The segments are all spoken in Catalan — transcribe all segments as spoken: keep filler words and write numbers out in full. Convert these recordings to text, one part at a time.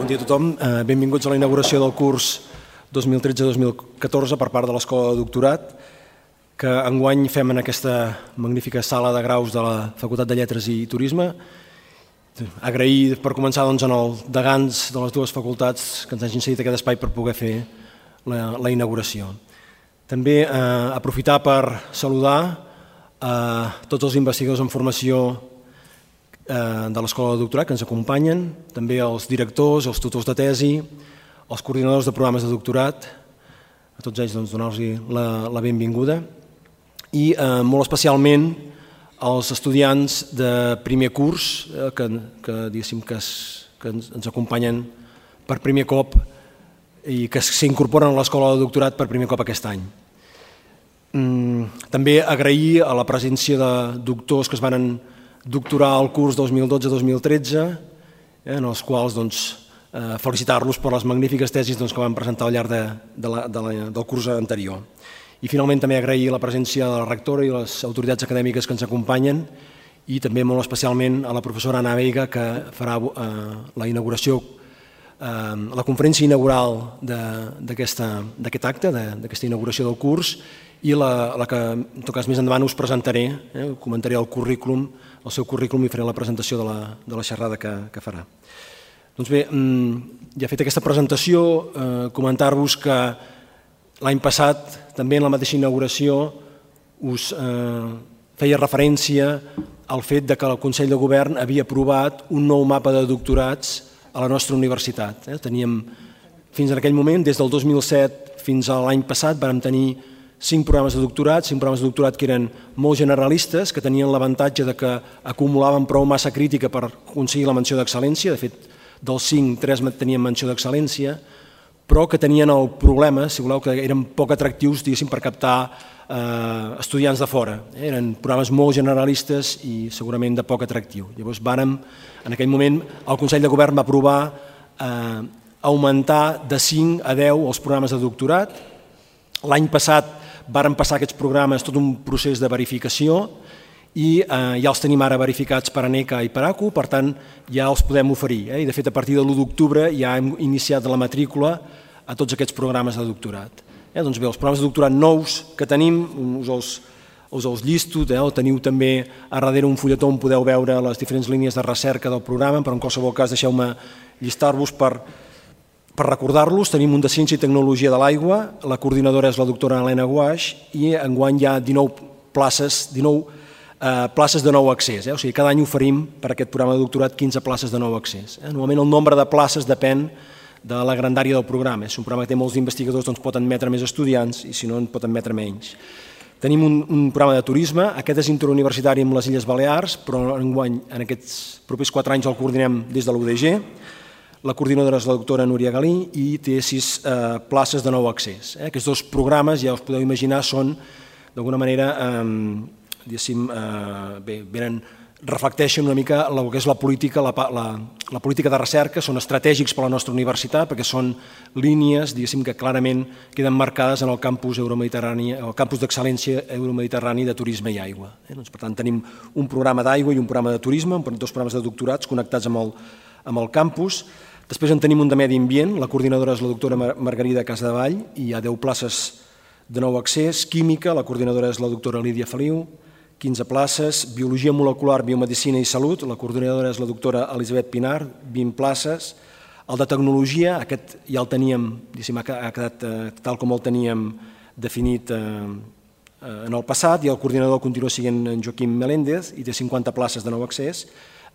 Bon dia a tothom. Benvinguts a la inauguració del curs dos mil tretze dos mil catorze per part de l'Escola de Doctorat, que enguany fem en aquesta magnífica sala de graus de la Facultat de Lletres i Turisme. Agrair per començar doncs, als degans de les dues facultats que ens hagin cedit aquest espai per poder fer la, la inauguració. També eh, aprofitar per saludar a tots els investigadors en formació de l'Escola de Doctorat que ens acompanyen, també els directors, els tutors de tesi, els coordinadors de programes de doctorat, a tots ells doncs, donar-los la, la benvinguda, i eh, molt especialment als estudiants de primer curs eh, que, que, que, es, que ens, ens acompanyen per primer cop i que s'incorporen a l'Escola de Doctorat per primer cop aquest any. Mm, també agrair a la presència de doctors que es van doctorar al curs dos mil dotze dos mil tretze, eh, en els quals doncs, eh, felicitar-los per les magnífiques tesis doncs, que van presentar al llarg de, de la, de la, del curs anterior. I finalment també agrair la presència de la rectora i les autoritats acadèmiques que ens acompanyen i també molt especialment a la professora Ana Veiga, que farà eh, la inauguració, eh, la conferència inaugural d'aquest acte, d'aquesta inauguració del curs, i la, la que en tot cas més endavant us presentaré, eh, comentaré el currículum, el seu currículum i faré la presentació de la, de la xerrada que, que farà. Doncs bé, ja fet aquesta presentació, eh, comentar-vos que l'any passat, també en la mateixa inauguració, us eh, feia referència al fet de que el Consell de Govern havia aprovat un nou mapa de doctorats a la nostra universitat. Eh. Teníem, fins en aquell moment, des del dos mil set fins a l'any passat, vam tenir cinc programes de doctorat, cinc programes de doctorat que eren molt generalistes, que tenien l'avantatge de que acumulaven prou massa crítica per aconseguir la menció d'excel·lència. De fet, dels cinc, tres tenien menció d'excel·lència, però que tenien el problema, si voleu, que eren poc atractius, diguéssim, per captar eh, estudiants de fora. Eren programes molt generalistes i segurament de poc atractiu. Llavors, vàrem, en aquell moment, el Consell de Govern va aprovar eh, augmentar de cinc a deu els programes de doctorat. L'any passat varen passar aquests programes tot un procés de verificació i eh, ja els tenim ara verificats per ANECA i per A C U, per tant ja els podem oferir. Eh? I de fet a partir de l'u d'octubre ja hem iniciat la matrícula a tots aquests programes de doctorat. Eh? Doncs bé, els programes de doctorat nous que tenim, us els, us els llisto, eh? El teniu també a darrere un fulletó on podeu veure les diferents línies de recerca del programa, però en qualsevol cas deixeu-me llistar-vos per... Per recordar-los, tenim un de Ciència i Tecnologia de l'Aigua, la coordinadora és la doctora Helena Guaix i enguany hi ha dinou places, dinou eh, places de nou accés. Eh? O sigui, cada any oferim per aquest programa de doctorat quinze places de nou accés. Eh? Normalment el nombre de places depèn de la grandària del programa. Si un programa que té molts investigadors doncs pot admetre més estudiants i si no en pot admetre menys. Tenim un, un programa de turisme, aquest és interuniversitari amb les Illes Balears, però enguany en aquests propers quatre anys el coordinem des de l'U D G. La coordinadora és la doctora Núria Galí i té sis eh, places de nou accés. Eh? Aquests dos programes, ja us podeu imaginar, són d'alguna manera, eh, diguéssim, eh, bé, venen, reflecteixen una mica el que és la política, la, la, la política de recerca, són estratègics per a la nostra universitat perquè són línies, diguéssim, que clarament queden marcades en el campus euromediterrani, el campus d'excel·lència euromediterrani de turisme i aigua. Eh? Doncs, per tant, tenim un programa d'aigua i un programa de turisme, dos programes de doctorats connectats amb el, amb el campus. Després en tenim un de medi ambient, la coordinadora és la doctora Margarida Casadevall i hi ha deu places de nou accés. Química, la coordinadora és la doctora Lídia Feliu, quinze places. Biologia molecular, biomedicina i salut, la coordinadora és la doctora Elisabet Pinar, vint places. El de tecnologia, aquest ja el teníem, ha quedat tal com el teníem definit en el passat, i el coordinador continua sent en Joaquim Meléndez i té cinquanta places de nou accés.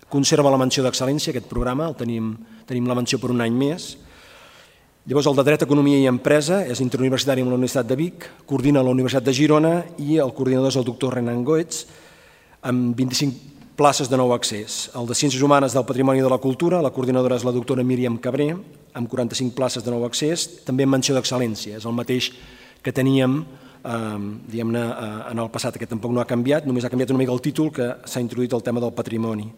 Conserva la menció d'excel·lència, aquest programa, tenim la menció per un any més. Llavors, el de Dret, Economia i Empresa és interuniversitari amb la Universitat de Vic, coordina la Universitat de Girona i el coordinador és el doctor Renan Goetz, amb vint-i-cinc places de nou accés. El de Ciències Humanes del Patrimoni i de la Cultura, la coordinadora és la doctora Míriam Cabré, amb quaranta-cinc places de nou accés, també amb menció d'excel·lència. És el mateix que teníem diguem-ne en el passat, aquest tampoc no ha canviat, només ha canviat una mica el títol, que s'ha introduït el tema del patrimoni.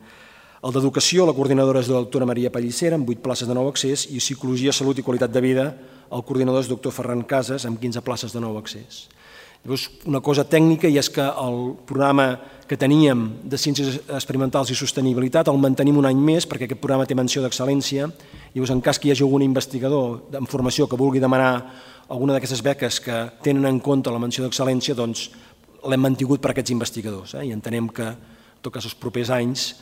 El d'Educació, la coordinadora és la doctora Maria Pallissera, amb vuit places de nou accés, i Psicologia, Salut i Qualitat de Vida, el coordinador és doctor Ferran Casas, amb quinze places de nou accés. Llavors, una cosa tècnica, i és que el programa que teníem de Ciències Experimentals i Sostenibilitat el mantenim un any més, perquè aquest programa té menció d'excel·lència. Llavors, en cas que hi hagi algun investigador en formació que vulgui demanar alguna d'aquestes beques que tenen en compte la menció d'excel·lència, doncs l'hem mantingut per a aquests investigadors, i entenem que, en tot cas, els propers anys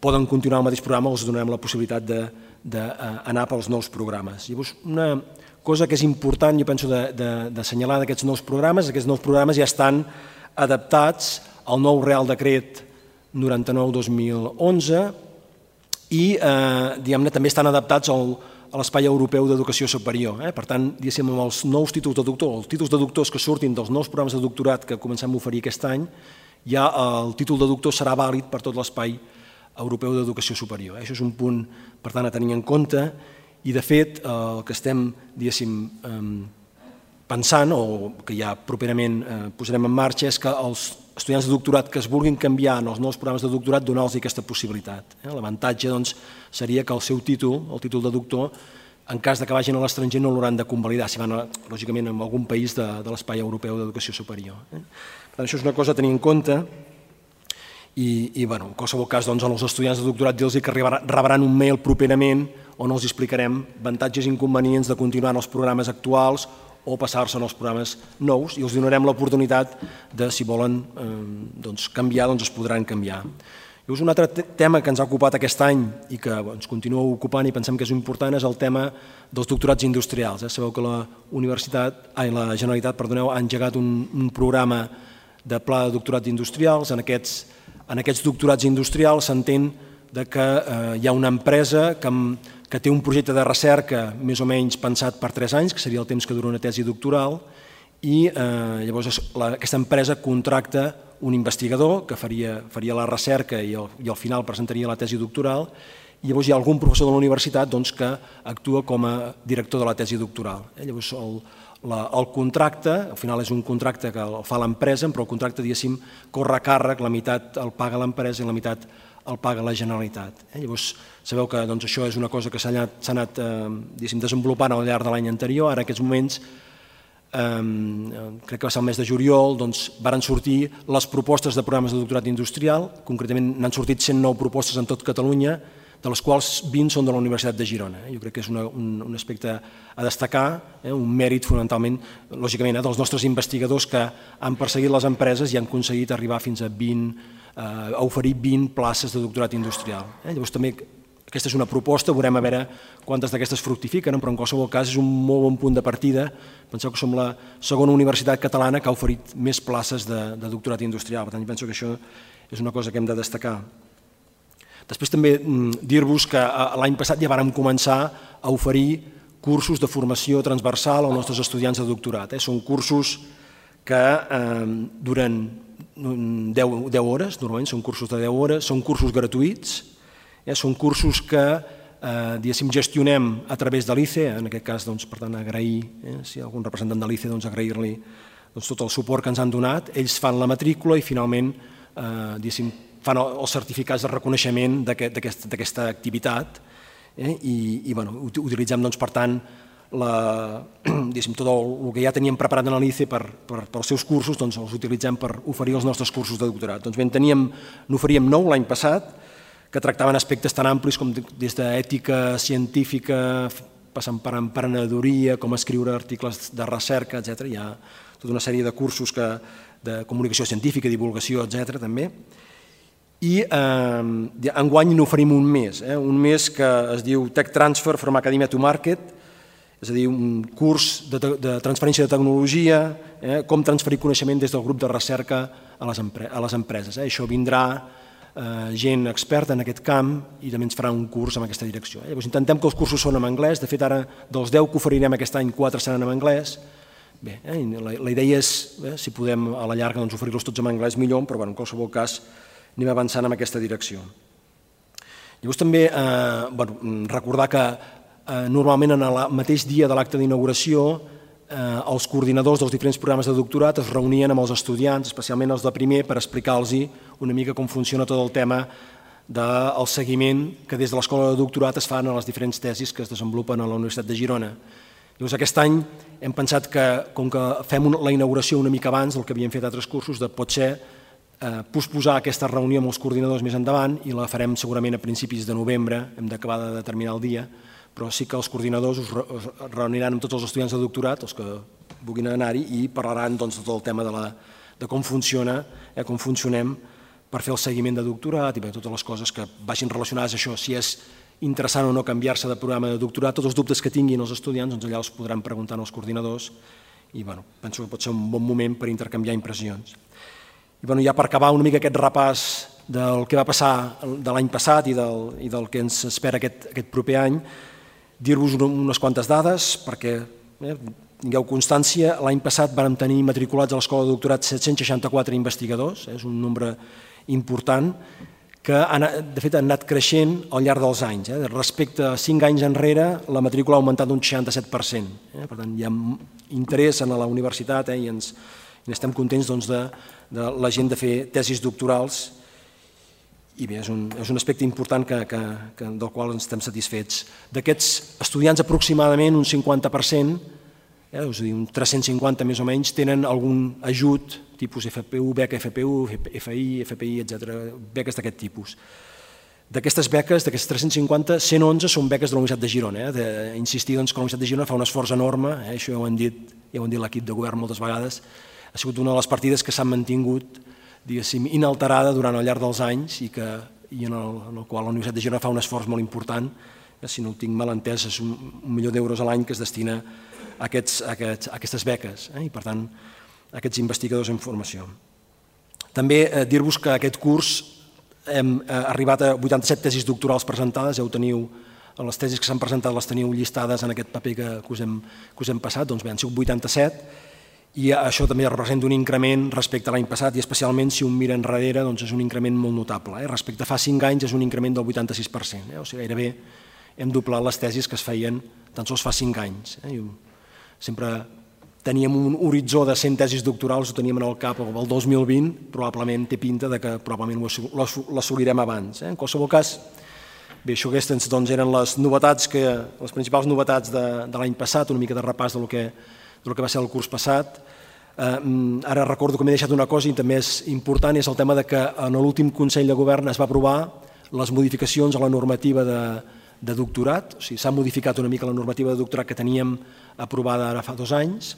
poden continuar el mateix programa o els donarem la possibilitat d'anar pels nous programes. Llavors, una cosa que és important, jo penso, d'assenyalar d'aquests nous programes, aquests nous programes ja estan adaptats al nou Real Decret noranta-nou dos mil onze i també estan adaptats a l'Espai Europeu d'Educació Superior. Per tant, amb els nous títols de doctor, els títols de doctors que surtin dels nous programes de doctorat que comencem a oferir aquest any, ja el títol de doctor serà vàlid per tot l'Espai Europeu d'Educació Superior. Això és un punt, per tant, a tenir en compte, i de fet el que estem, diguéssim, pensant, o que ja properament posarem en marxa, és que els estudiants de doctorat que es vulguin canviar en els nous programes de doctorat, donar-los aquesta possibilitat. L'avantatge seria que el seu títol, el títol de doctor, en cas que vagin a l'estranger no l'hauran de convalidar, si van, lògicament, a algun país de l'Espai Europeu d'Educació Superior. Per tant, això és una cosa a tenir en compte. I, en qualsevol cas, als estudiants de doctorat dir-los que rebran un mail properament on els explicarem avantatges i inconvenients de continuar en els programes actuals o passar-se en els programes nous, i els donarem l'oportunitat de, si volen canviar, doncs es podran canviar. Llavors, un altre tema que ens ha ocupat aquest any i que ens continua ocupant i pensem que és important és el tema dels doctorats industrials. Sabeu que la Generalitat ha engegat un programa de pla de doctorats industrials. En aquests En aquests doctorats industrials s'entén que hi ha una empresa que té un projecte de recerca més o menys pensat per tres anys, que seria el temps que dura una tesi doctoral, i llavors aquesta empresa contracta un investigador que faria la recerca i al final presentaria la tesi doctoral, i llavors hi ha algun professor de la universitat que actua com a director de la tesi doctoral. Llavors el contracte, al final és un contracte que el fa l'empresa, però el contracte, diguéssim, corre a càrrec, la meitat el paga l'empresa i la meitat el paga la Generalitat. Llavors, sabeu que això és una cosa que s'ha anat desenvolupant al llarg de l'any anterior. Ara, en aquests moments, crec que va ser el mes de juliol, varen sortir les propostes de programes de doctorat industrial. Concretament, n'han sortit cent nou propostes en tot Catalunya, de les quals vint són de la Universitat de Girona. Jo crec que és un aspecte a destacar, un mèrit fonamentalment, lògicament, dels nostres investigadors que han perseguit les empreses i han aconseguit arribar fins a oferir vint places de doctorat industrial. Llavors també aquesta és una proposta, veurem a veure quantes d'aquestes fructifiquen, però en qualsevol cas és un molt bon punt de partida. Penseu que som la segona universitat catalana que ha oferit més places de doctorat industrial, per tant penso que això és una cosa que hem de destacar. Després també dir-vos que l'any passat ja vàrem començar a oferir cursos de formació transversal als nostres estudiants de doctorat. Són cursos que duren deu hores, normalment són cursos de deu hores, són cursos gratuïts, són cursos que gestionem a través de l'I C E, en aquest cas, per tant, agrair, si hi ha algun representant de l'I C E, agrair-li tot el suport que ens han donat. Ells fan la matrícula i finalment fan els certificats de reconeixement d'aquesta activitat i utilitzem, per tant, tot el que ja teníem preparat en l'I C E pels seus cursos, els utilitzem per oferir els nostres cursos de doctorat. Doncs bé, n'oferíem nou l'any passat, que tractaven aspectes tan amplis com des d'ètica científica, passant per emprenedoria, com escriure articles de recerca, etcètera. Hi ha tota una sèrie de cursos de comunicació científica, divulgació, etcètera, també. I enguany n'oferim un mes, un mes que es diu Tech Transfer from Academia to Market. és a dir, un curs de, de transferència de tecnologia, eh, com transferir coneixement des del grup de recerca a les, empre a les empreses. Eh. Això vindrà eh, gent experta en aquest camp i també ens farà un curs en aquesta direcció. Eh. Llavors intentem que els cursos són en anglès, de fet ara dels deu que oferirem aquest any, quatre seran en anglès. Bé, eh, la, la idea és, eh, si podem a la llarga doncs, oferir-los tots en anglès millor, però bueno, en qualsevol cas anem avançant en aquesta direcció. Llavors també eh, bueno, recordar que eh, normalment en el mateix dia de l'acte d'inauguració eh, els coordinadors dels diferents programes de doctorat es reunien amb els estudiants, especialment els de primer, per explicar-los una mica com funciona tot el tema del seguiment que des de l'escola de doctorat es fan a les diferents tesis que es desenvolupen a la Universitat de Girona. Llavors aquest any hem pensat que, com que fem la inauguració una mica abans del que havíem fet altres cursos, de potser eh, posposar aquesta reunió amb els coordinadors més endavant i la farem segurament a principis de novembre, hem d'acabar de determinar el dia, però sí que els coordinadors us, re us reuniran amb tots els estudiants de doctorat, els que vulguin anar-hi, i parlaran doncs, tot el tema de, la, de com funciona, eh, com funcionem per fer el seguiment de doctorat i bé, totes les coses que vagin relacionades a això, si és interessant o no canviar-se de programa de doctorat, tots els dubtes que tinguin els estudiants, doncs allà els podran preguntar als coordinadors i bueno, penso que pot ser un bon moment per intercanviar impressions. I bueno, ja per acabar una mica aquest repàs del que va passar de l'any passat i del, i del que ens espera aquest, aquest proper any, dir-vos unes quantes dades perquè eh, tingueu constància. L'any passat vam tenir matriculats a l'Escola de Doctorat set-cents seixanta-quatre investigadors, eh, és un nombre important, que de fet han anat creixent al llarg dels anys. Eh? Respecte a cinc anys enrere, la matrícula ha augmentat un seixanta-set per cent. Eh? Per tant, hi ha interès en la universitat eh? I, ens, i estem contents doncs, de, de la gent de fer tesis doctorals i bé, és un, és un aspecte important que, que, que, del qual ens estem satisfets. D'aquests estudiants, aproximadament un cinquanta per cent, eh? és a dir, un tres-cents cinquanta més o menys, tenen algun ajut tipus F P U, beca F P U, F I, F P I, etcètera, beques d'aquest tipus. D'aquestes beques, d'aquests tres-cents cinquanta, cent onze són beques de la Universitat de Girona. Eh? D'insistir doncs, que la Universitat de Girona fa un esforç enorme, eh? Això ja ho han dit, ja ho han dit l'equip de govern moltes vegades, ha sigut una de les partides que s'han mantingut, diguéssim, inalterada durant el llarg dels anys i, que, i en, el, en el qual la Universitat de Girona fa un esforç molt important, eh? Si no ho tinc mal entès, és un, un milió d'euros a l'any que es destina a, aquests, a, aquests, a aquestes beques, eh? I per tant, aquests investigadors en formació. També eh, dir-vos que aquest curs hem eh, arribat a vuitanta-set tesis doctorals presentades, ja ho teniu, les tesis que s'han presentat les teniu llistades en aquest paper que, que, us, hem, que us hem passat, doncs bé, han sigut vuitanta-set, i això també representa un increment respecte a l'any passat, i especialment si un mira enrere doncs és un increment molt notable. Eh? Respecte a fa cinc anys és un increment del vuitanta-sis per cent, eh? O sigui, gairebé hem doblat les tesis que es feien tan sols fa cinc anys. Eh? Sempre teníem un horitzó de cent tesis doctorals, ho teníem en el cap el dos mil vint, probablement té pinta de que probablement l'assolirem abans. Eh? En qualsevol cas, bé, això aquestes doncs, eren les novetats, que, les principals novetats de, de l'any passat, una mica de repàs del que, del que va ser el curs passat. Eh, ara recordo que m'he deixat una cosa i també és important, és el tema de que en l'últim Consell de Govern es va aprovar les modificacions a la normativa de, de doctorat, o sigui, s'ha modificat una mica la normativa de doctorat que teníem aprovada ara fa dos anys,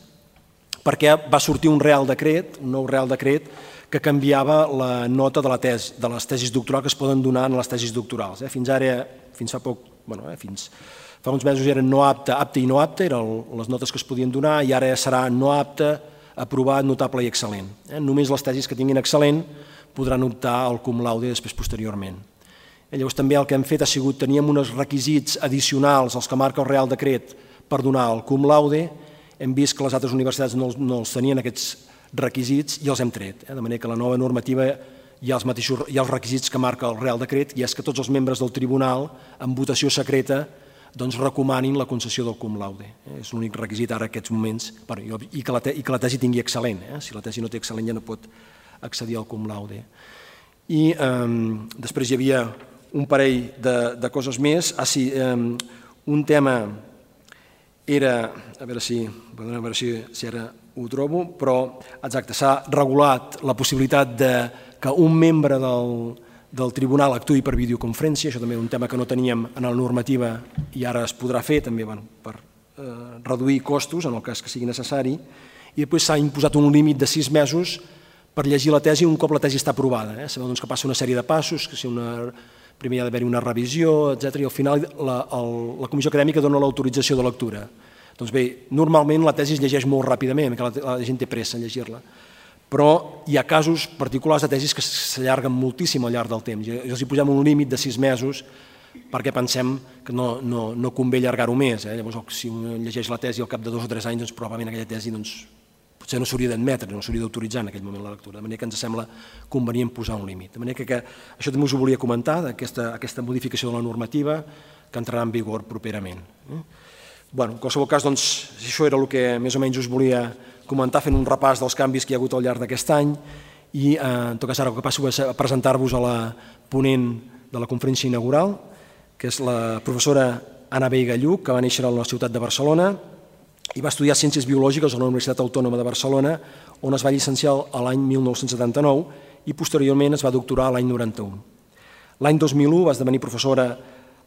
perquè va sortir un real decret, un nou real decret, que canviava la nota de, la tes, de les tesis doctorals que es poden donar en les tesis doctorals. Eh? Fins ara, fins fa poc, bueno, eh, fins fa uns mesos eren no apte, apte i no apte, eren les notes que es podien donar, i ara serà no apte, aprovat, notable i excel·lent. Eh? Només les tesis que tinguin excel·lent podran optar al cum laude després posteriorment. Eh, llavors també el que hem fet ha sigut, teníem uns requisits addicionals als que marca el real decret per donar el cum laude. Hem vist que les altres universitats no, no els tenien aquests requisits i els hem tret. Eh? De manera que la nova normativa hi ha els, mateixos, hi ha els requisits que marca el Real Decret, i és que tots els membres del tribunal, en votació secreta, doncs recomanin la concessió del cum laude. Eh? És l'únic requisit ara en aquests moments, bueno, i, que la te, i que la tesi tingui excel·lent. Eh? Si la tesi no té excel·lent ja no pot accedir al cum laude. I eh, després hi havia un parell de, de coses més. Ah, sí, eh, un tema era, a veure si, a veure si, si ara ho trobo, però exacte, s'ha regulat la possibilitat de que un membre del, del tribunal actuï per videoconferència, això també és un tema que no teníem en la normativa i ara es podrà fer també bueno, per eh, reduir costos en el cas que sigui necessari, i després s'ha imposat un límit de sis mesos per llegir la tesi un cop la tesi està aprovada. Eh? Sabeu doncs, que passa una sèrie de passos, que si una, primer hi ha d'haver una revisió, etcètera, i al final la, el, la comissió acadèmica dona l'autorització de lectura. Doncs bé, normalment la tesi es llegeix molt ràpidament, perquè la gent té pressa en llegir-la, però hi ha casos particulars de tesis que s'allarguen moltíssim al llarg del temps. I els hi posem un límit de sis mesos perquè pensem que no, no, no convé allargar-ho més. Eh? Llavors, si un llegeix la tesi al cap de dos o tres anys, doncs, probablement aquella tesi doncs, potser no s'hauria d'admetre, no s'hauria d'autoritzar en aquell moment la lectura, de manera que ens sembla convenient posar un límit. De manera que, que això també us ho volia comentar, aquesta, aquesta modificació de la normativa que entrarà en vigor properament. Eh? Bueno, en qualsevol cas, doncs, això era el que més o menys us volia comentar, fent un repàs dels canvis que hi ha hagut al llarg d'aquest any i, eh, en tot cas, ara el que passo a presentar-vos a la ponent de la conferència inaugural, que és la professora Anna Veiga Lluc, que va néixer a la ciutat de Barcelona i va estudiar Ciències Biològiques a la Universitat Autònoma de Barcelona, on es va llicenciar a l'any mil nou-cents setanta-nou i posteriorment es va doctorar l'any noranta-u. L'any dos mil u va esdevenir professora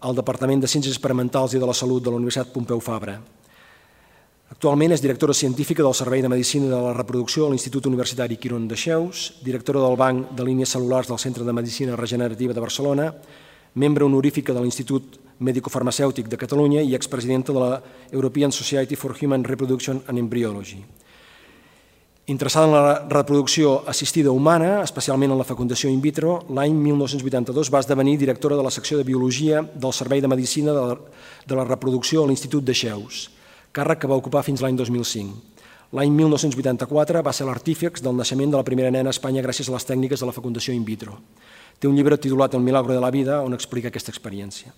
al Departament de Ciències Experimentals i de la Salut de la Universitat Pompeu Fabra. Actualment és directora científica del Servei de Medicina de la Reproducció a l'Institut Universitari Quirón de Cheus, directora del Banc de Línies Cel·lulars del Centre de Medicina Regenerativa de Barcelona, membre honorífica de l'Institut Mèdico-Farmacèutic de Catalunya i expresidenta de la European Society for Human Reproduction and Embryology. Interessada en la reproducció assistida humana, especialment en la fecundació in vitro, l'any mil nou-cents vuitanta-dos va esdevenir directora de la secció de Biologia del Servei de Medicina de la Reproducció a l'Institut de Cheus, càrrec que va ocupar fins l'any dos mil cinc. L'any mil nou-cents vuitanta-quatre va ser l'artífex del naixement de la primera nena a Espanya gràcies a les tècniques de la fecundació in vitro. Té un llibre titulat El milagro de la vida on explica aquesta experiència.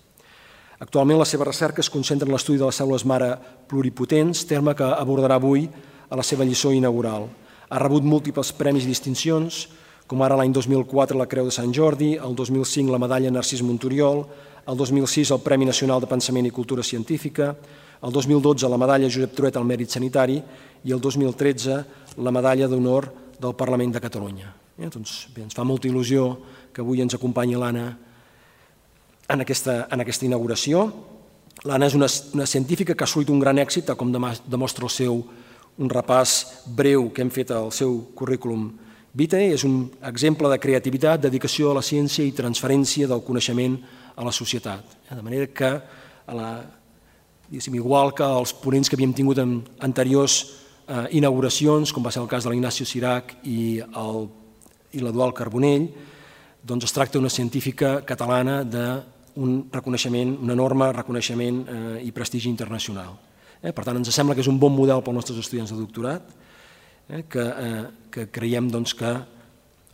Actualment la seva recerca es concentra en l'estudi de les cèl·lules mare pluripotents, terme que abordarà avui a la seva lliçó inaugural. Ha rebut múltiples premis i distincions, com ara l'any dos mil quatre la Creu de Sant Jordi, el dos mil cinc la medalla Narcís Monturiol, el dos mil sis el Premi Nacional de Pensament i Cultura Científica, el dos mil dotze la medalla Josep Trueta al Mèrit Sanitari i el dos mil tretze la medalla d'honor del Parlament de Catalunya. Eh, doncs, bé, ens fa molta il·lusió que avui ens acompanyi l'Anna en aquesta, en aquesta inauguració. L'Anna és una, una científica que ha assolit un gran èxit, tal com demostra el seu un repàs breu que hem fet al seu currículum vitae. És un exemple de creativitat, dedicació a la ciència i transferència del coneixement a la societat. De manera que, a la, igual que els ponents que havíem tingut en anteriors eh, inauguracions, com va ser el cas de l'Ignacio Cirac i el i l'Eduard Carbonell, doncs es tracta d'una científica catalana d'un reconeixement, un enorme reconeixement eh, i prestigi internacional. Eh, per tant, ens sembla que és un bon model pels nostres estudiants de doctorat, eh, que, eh, que creiem doncs, que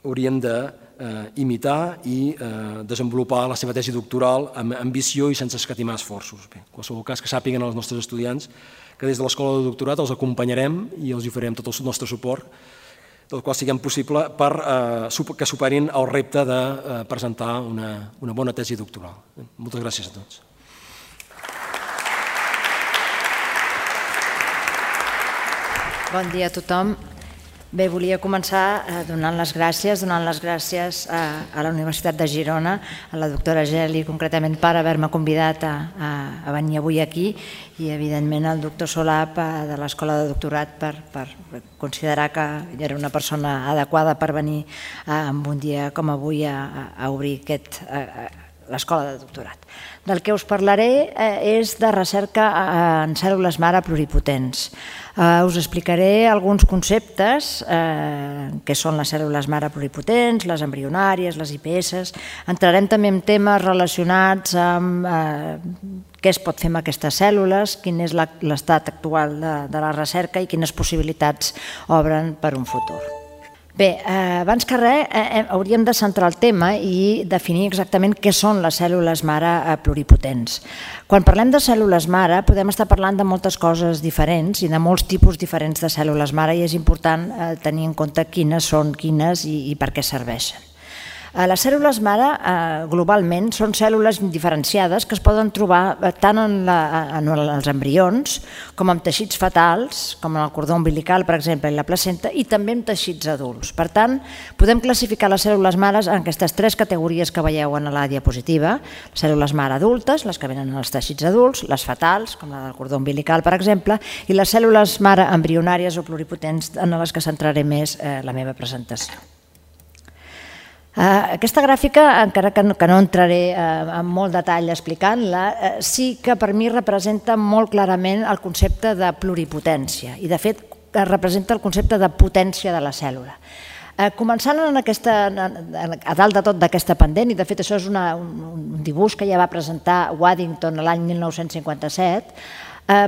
haurien d'imitar eh, i eh, desenvolupar la seva tesi doctoral amb ambició i sense escatimar esforços. Bé, en qualsevol cas, que sàpiguen els nostres estudiants que des de l'Escola de Doctorat els acompanyarem i els oferirem tot el nostre suport, del qual siguem possible per eh, que superin el repte de eh, presentar una, una bona tesi doctoral. Moltes gràcies a tots. Bon dia a tothom. Bé, volia començar donant les gràcies, donant les gràcies a la Universitat de Girona, a la doctora Geli, concretament per haver-me convidat a, a venir avui aquí i, evidentment, al doctor Solap de l'Escola de Doctorat per, per considerar que era una persona adequada per venir en un dia com avui a, a obrir aquest, l'Escola de Doctorat. Del que us parlaré és de recerca en cèl·lules mare pluripotents. Us explicaré alguns conceptes, que són les cèl·lules mare pluripotents, les embrionàries, les I P S. Entrarem també en temes relacionats amb què es pot fer amb aquestes cèl·lules, quin és l'estat actual de la recerca i quines possibilitats obren per un futur. Bé, abans que res, hauríem de centrar el tema i definir exactament què són les cèl·lules mare pluripotents. Quan parlem de cèl·lules mare podem estar parlant de moltes coses diferents i de molts tipus diferents de cèl·lules mare i és important tenir en compte quines són quines i per què serveixen. Les cèl·lules mare globalment són cèl·lules diferenciades que es poden trobar tant en els embrions com en teixits fetals, com en el cordó umbilical, per exemple, i la placenta, i també en teixits adults. Per tant, podem classificar les cèl·lules mares en aquestes tres categories que veieu en la diapositiva. Les cèl·lules mare adultes, les que venen als teixits adults, les fetals, com la del cordó umbilical, per exemple, i les cèl·lules mare embrionàries o pluripotents en les que centraré més la meva presentació. Aquesta gràfica, encara que no entraré en molt detall explicant-la, sí que per mi representa molt clarament el concepte de pluripotència i, de fet, representa el concepte de potència de la cèl·lula. Començant a dalt de tot d'aquesta pendent, i de fet això és un dibuix que ja va presentar Waddington l'any mil nou-cents cinquanta-set,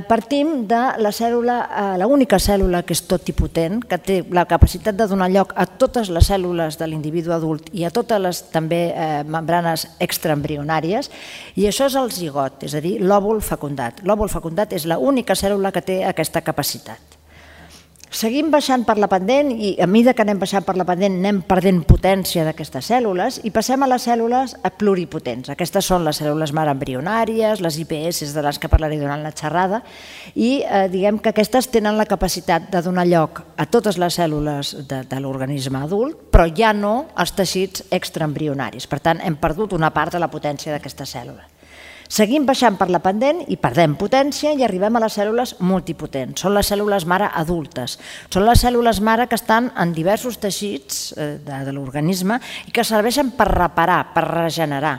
partim de la cèl·lula, l'única cèl·lula que és totipotent, que té la capacitat de donar lloc a totes les cèl·lules de l'individu adult i a totes les també membranes extraembrionàries, i això és el zigot, és a dir, l'òvul fecundat. L'òvul fecundat és l'única cèl·lula que té aquesta capacitat. Seguim baixant per la pendent i a mesura que anem baixant per la pendent anem perdent potència d'aquestes cèl·lules i passem a les cèl·lules pluripotents. Aquestes són les cèl·lules mare embrionàries, les I P S de les que parlaré durant la xerrada, i diguem que aquestes tenen la capacitat de donar lloc a totes les cèl·lules de l'organisme adult, però ja no als teixits extraembrionaris. Per tant, hem perdut una part de la potència d'aquesta cèl·lula. Seguim baixant per la pendent i perdem potència i arribem a les cèl·lules multipotents. Són les cèl·lules mare adultes. Són les cèl·lules mare que estan en diversos teixits de l'organisme i que serveixen per reparar, per regenerar.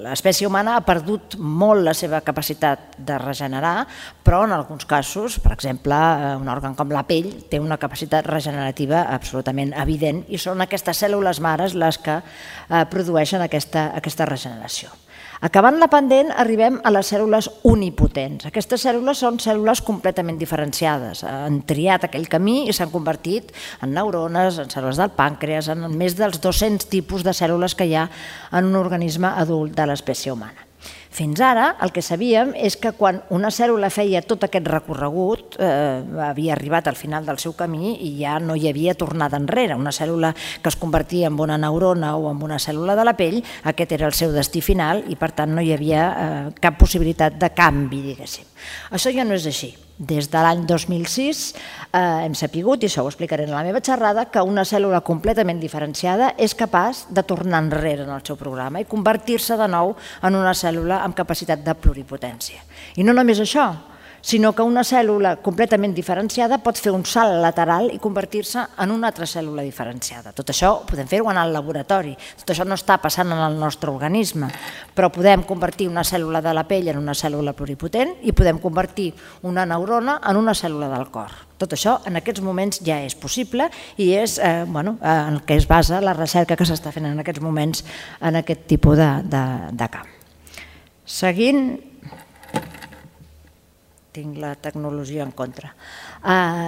L'espècie humana ha perdut molt la seva capacitat de regenerar, però en alguns casos, per exemple, un òrgan com la pell té una capacitat regenerativa absolutament evident i són aquestes cèl·lules mares les que produeixen aquesta regeneració. Acabant la pendent, arribem a les cèl·lules unipotents. Aquestes cèl·lules són cèl·lules completament diferenciades. Han triat aquell camí i s'han convertit en neurones, en cèl·lules del pàncreas, en més dels dos-cents tipus de cèl·lules que hi ha en un organisme adult de l'espècie humana. Fins ara, el que sabíem és que quan una cèl·lula feia tot aquest recorregut, havia arribat al final del seu camí i ja no hi havia tornada enrere. Una cèl·lula que es convertia en una neurona o en una cèl·lula de la pell, aquest era el seu destí final i per tant no hi havia cap possibilitat de canvi, diguéssim. Això ja no és així. Des de l'any dos mil sis hem sapigut, i això ho explicaré en la meva xerrada, que una cèl·lula completament diferenciada és capaç de tornar enrere en el seu programa i convertir-se de nou en una cèl·lula amb capacitat de pluripotència. I no només això, sinó que una cèl·lula completament diferenciada pot fer un salt lateral i convertir-se en una altra cèl·lula diferenciada. Tot això podem fer-ho en el laboratori, tot això no està passant en el nostre organisme, però podem convertir una cèl·lula de la pell en una cèl·lula pluripotent i podem convertir una neurona en una cèl·lula del cor. Tot això en aquests moments ja és possible i és en el que es basa la recerca que s'està fent en aquests moments en aquest tipus de camp. Seguint... tinc la tecnologia en contra.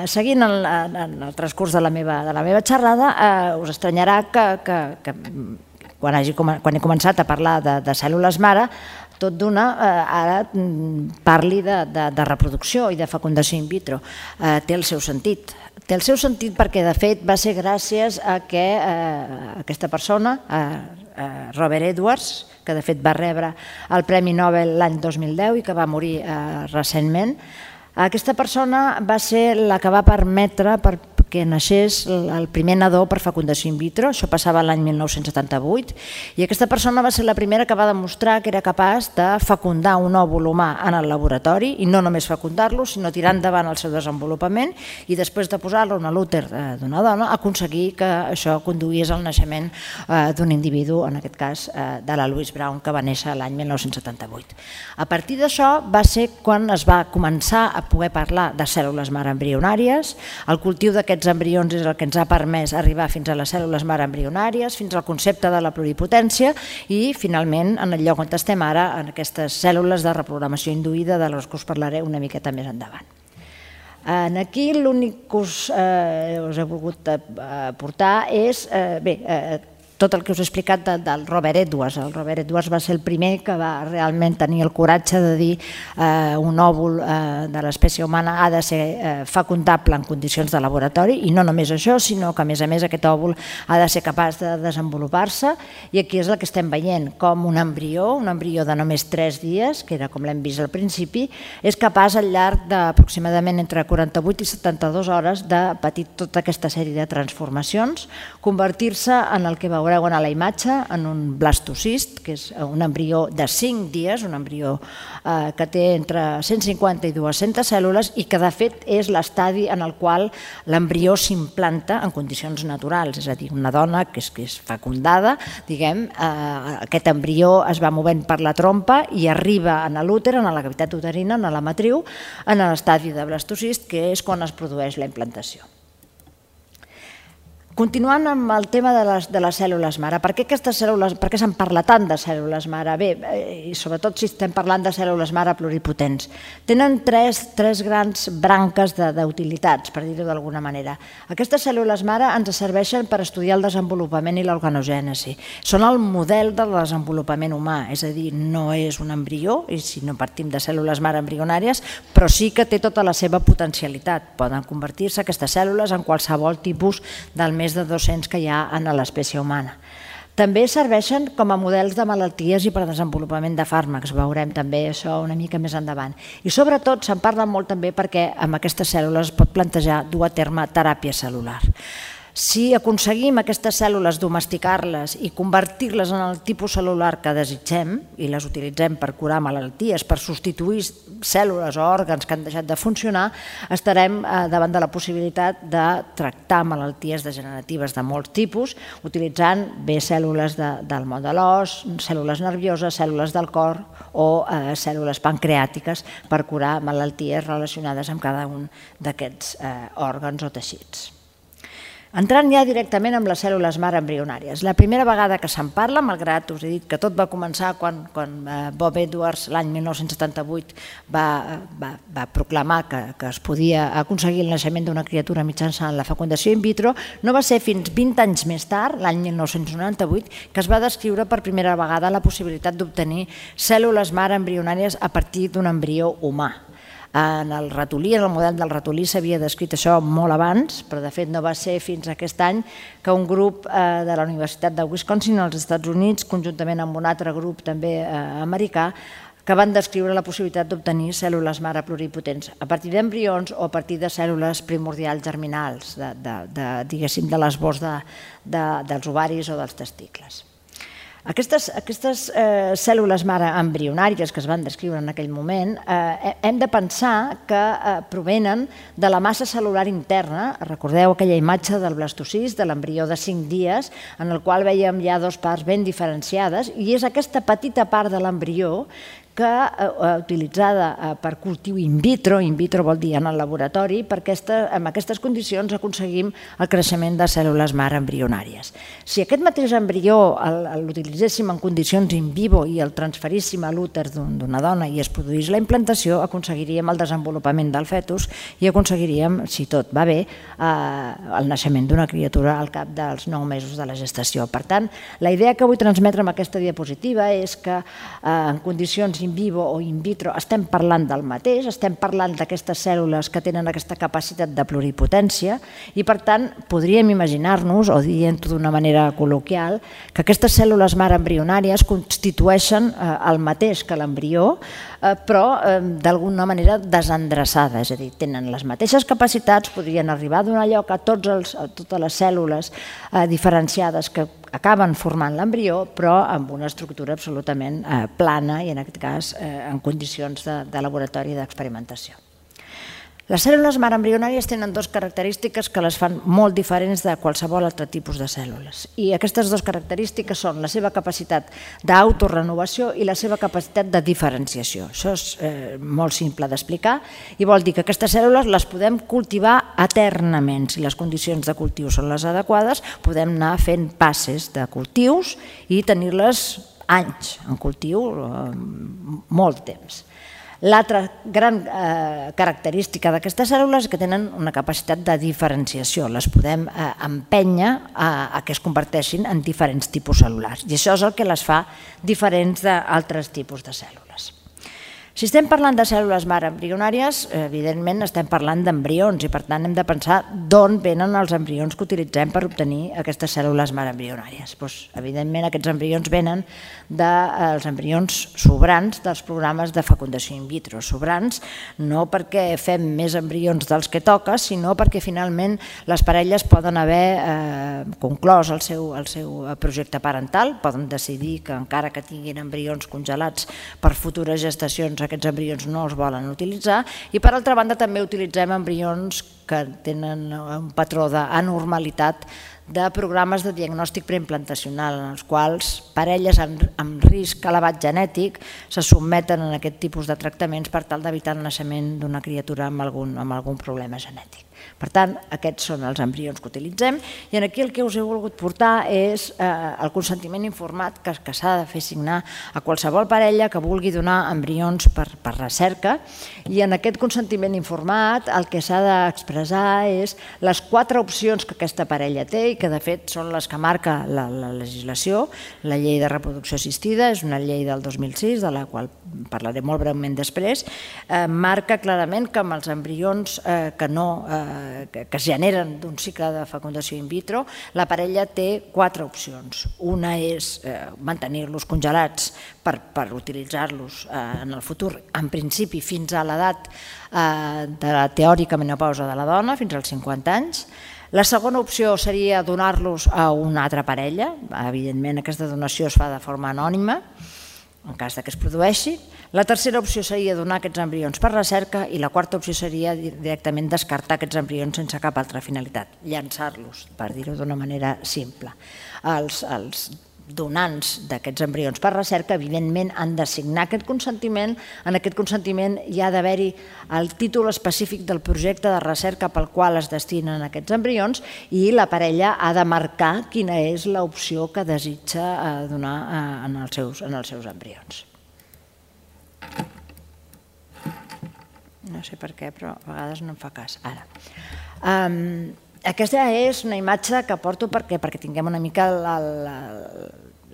Seguint el transcurs de la meva xerrada, us estranyarà que quan he començat a parlar de cèl·lules mare, tot d'una ara parli de reproducció i de fecundació in vitro. Té el seu sentit. Té el seu sentit perquè, de fet, va ser gràcies a que aquesta persona, Robert Edwards, que de fet va rebre el Premi Nobel l'any dos mil deu i que va morir recentment, aquesta persona va ser la que va permetre que naixés el primer nadó per fecundació in vitro, això passava l'any mil nou-cents setanta-vuit, i aquesta persona va ser la primera que va demostrar que era capaç de fecundar un òvul humà en el laboratori, i no només fecundar-lo, sinó tirar endavant el seu desenvolupament, i després de posar-lo en l'úter d'una dona, aconseguir que això conduís al naixement d'un individu, en aquest cas de la Louise Brown, que va néixer l'any mil nou-cents setanta-vuit. A partir d'això va ser quan es va començar a poder parlar de cèl·lules mare embrionàries, el cultiu d'aquests embrions és el que ens ha permès arribar fins a les cèl·lules mare embrionàries, fins al concepte de la pluripotència i, finalment, en el lloc on estem ara, en aquestes cèl·lules de reprogramació induïda, de les que us parlaré una miqueta més endavant. Aquí l'únic que us he volgut aportar és, bé, tot el que us he explicat del Robert Edwards. El Robert Edwards va ser el primer que va realment tenir el coratge de dir un òvul de l'espècie humana ha de ser fecundable en condicions de laboratori, i no només això, sinó que a més a més aquest òvul ha de ser capaç de desenvolupar-se, i aquí és el que estem veient, com un embrió, un embrió de només tres dies, que era com l'hem vist al principi, és capaç al llarg d'aproximadament entre quaranta-vuit i setanta-dues hores de patir tota aquesta sèrie de transformacions, convertir-se en el que veurem veureu a la imatge, en un blastocist, que és un embrió de cinc dies, un embrió que té entre cent cinquanta i dues-centes cèl·lules i que de fet és l'estadi en el qual l'embrió s'implanta en condicions naturals, és a dir, una dona que és fecundada, diguem, aquest embrió es va movent per la trompa i arriba a l'úter, a la cavitat uterina, a la matriu, en l'estadi de blastocist, que és quan es produeix la implantació. Continuant amb el tema de les, de les cèl·lules mare, per què aquestes cèl·lules, per què se'n parla tant de cèl·lules mare? Bé, i sobretot si estem parlant de cèl·lules mare pluripotents. Tenen tres, tres grans branques d'utilitats, per dir-ho d'alguna manera. Aquestes cèl·lules mare ens serveixen per estudiar el desenvolupament i l'organogènesi. Són el model del desenvolupament humà, és a dir, no és un embrió, i si no partim de cèl·lules mare embrionàries, però sí que té tota la seva potencialitat. Poden convertir-se aquestes cèl·lules en qualsevol tipus del més de dos-cents que hi ha en l'espècie humana. També serveixen com a models de malalties i per desenvolupament de fàrmacs, veurem també això una mica més endavant. I sobretot se'n parla molt també perquè amb aquestes cèl·lules es pot plantejar dur a terme teràpia cel·lular. Si aconseguim aquestes cèl·lules domesticar-les i convertir-les en el tipus cel·lular que desitgem i les utilitzem per curar malalties, per substituir cèl·lules o òrgans que han deixat de funcionar, estarem davant de la possibilitat de tractar malalties degeneratives de molts tipus, utilitzant bé cèl·lules del món de l'os, cèl·lules nervioses, cèl·lules del cor o cèl·lules pancreàtiques per curar malalties relacionades amb cada un d'aquests òrgans o teixits. Entrant ja directament amb les cèl·lules mare embrionàries. La primera vegada que se'n parla, malgrat us he dit que tot va començar quan Bob Edwards l'any mil nou-cents setanta-vuit va proclamar que es podia aconseguir el naixement d'una criatura mitjançant la fecundació in vitro, no va ser fins vint anys més tard, l'any mil nou-cents noranta-vuit, que es va descriure per primera vegada la possibilitat d'obtenir cèl·lules mare embrionàries a partir d'un embrió humà. En el ratolí, en el model del ratolí s'havia descrit això molt abans, però de fet no va ser fins aquest any que un grup de la Universitat de Wisconsin als Estats Units, conjuntament amb un altre grup també americà, que van descriure la possibilitat d'obtenir cèl·lules mare pluripotents a partir d'embrions o a partir de cèl·lules primordials germinals, diguéssim, de l'esbós dels ovaris o dels testicles. Aquestes cèl·lules mare embrionàries que es van descriure en aquell moment hem de pensar que provenen de la massa cel·lular interna. Recordeu aquella imatge del blastocist, de l'embrió de cinc dies, en el qual vèiem ja dues parts ben diferenciades, i és aquesta petita part de l'embrió que utilitzada per cultiu in vitro, in vitro vol dir en el laboratori, perquè en aquestes condicions aconseguim el creixement de cèl·lules mare embrionàries. Si aquest mateix embrió l'utilitzéssim en condicions in vivo i el transferíssim a l'úter d'una dona i es produís la implantació, aconseguiríem el desenvolupament del fetus i aconseguiríem, si tot va bé, el naixement d'una criatura al cap dels nou mesos de la gestació. Per tant, la idea que vull transmetre amb aquesta diapositiva és que en condicions in vivo o in vitro estem parlant del mateix, estem parlant d'aquestes cèl·lules que tenen aquesta capacitat de pluripotència i per tant podríem imaginar-nos, o dient-ho d'una manera col·loquial, que aquestes cèl·lules mare embrionàries constitueixen el mateix que l'embrió, però d'alguna manera desendreçada, és a dir, tenen les mateixes capacitats, podrien arribar a donar lloc a totes les cèl·lules diferenciades que acaben formant l'embrió, però amb una estructura absolutament plana i en aquest cas en condicions de laboratori d'experimentació. Les cèl·lules mare embrionàries tenen dues característiques que les fan molt diferents de qualsevol altre tipus de cèl·lules. I aquestes dues característiques són la seva capacitat d'autorenovació i la seva capacitat de diferenciació. Això és molt simple d'explicar i vol dir que aquestes cèl·lules les podem cultivar eternament. Si les condicions de cultiu són les adequades, podem anar fent passes de cultius i tenir-les anys en cultiu, molt temps. L'altra gran característica d'aquestes cèl·lules és que tenen una capacitat de diferenciació. Les podem empènyer a que es converteixin en diferents tipus cel·lulars i això és el que les fa diferents d'altres tipus de cèl·lules. Si estem parlant de cèl·lules mare embrionàries, evidentment estem parlant d'embrions i per tant hem de pensar d'on venen els embrions que utilitzem per obtenir aquestes cèl·lules mare embrionàries. Doncs, evidentment aquests embrions venen dels embrions sobrants dels programes de fecundació in vitro. Sobrants no perquè fem més embrions dels que toca, sinó perquè finalment les parelles poden haver eh, conclòs el seu, el seu projecte parental, poden decidir que encara que tinguin embrions congelats per futures gestacions aquests embrions no els volen utilitzar i per altra banda també utilitzem embrions que tenen un patró d'anormalitat de programes de diagnòstic preimplantacional en els quals parelles amb risc elevat genètic se sotmeten a aquest tipus de tractaments per tal d'evitar el naixement d'una criatura amb algun, amb algun problema genètic. Per tant, aquests són els embrions que utilitzem i aquí el que us he volgut portar és eh, el consentiment informat que, que s'ha de fer signar a qualsevol parella que vulgui donar embrions per, per recerca i en aquest consentiment informat el que s'ha d'expressar és les quatre opcions que aquesta parella té i que de fet són les que marca la, la legislació. La llei de reproducció assistida és una llei del dos mil sis, de la qual parlaré molt breument després, eh, marca clarament que amb els embrions eh, que no eh, que es generen d'un cicle de fecundació in vitro, la parella té quatre opcions. Una és mantenir-los congelats per, per utilitzar-los en el futur, en principi fins a l'edat de la teòrica menopausa de la dona, fins als cinquanta anys. La segona opció seria donar-los a una altra parella. Evidentment aquesta donació es fa de forma anònima, en cas que es produeixi. La tercera opció seria donar aquests embrions per recerca i la quarta opció seria directament descartar aquests embrions sense cap altra finalitat, llançar-los, per dir-ho d'una manera simple. Els, els donants d'aquests embrions per recerca evidentment han de signar aquest consentiment. En aquest consentiment hi ha d'haver-hi el títol específic del projecte de recerca pel qual es destinen aquests embrions i la parella ha de marcar quina és l'opció que desitja donar en els seus, en els seus embrions. No sé per què, però a vegades no em fa cas. Ara. Um, aquesta és una imatge que porto perquè, perquè tinguem una mica la, la,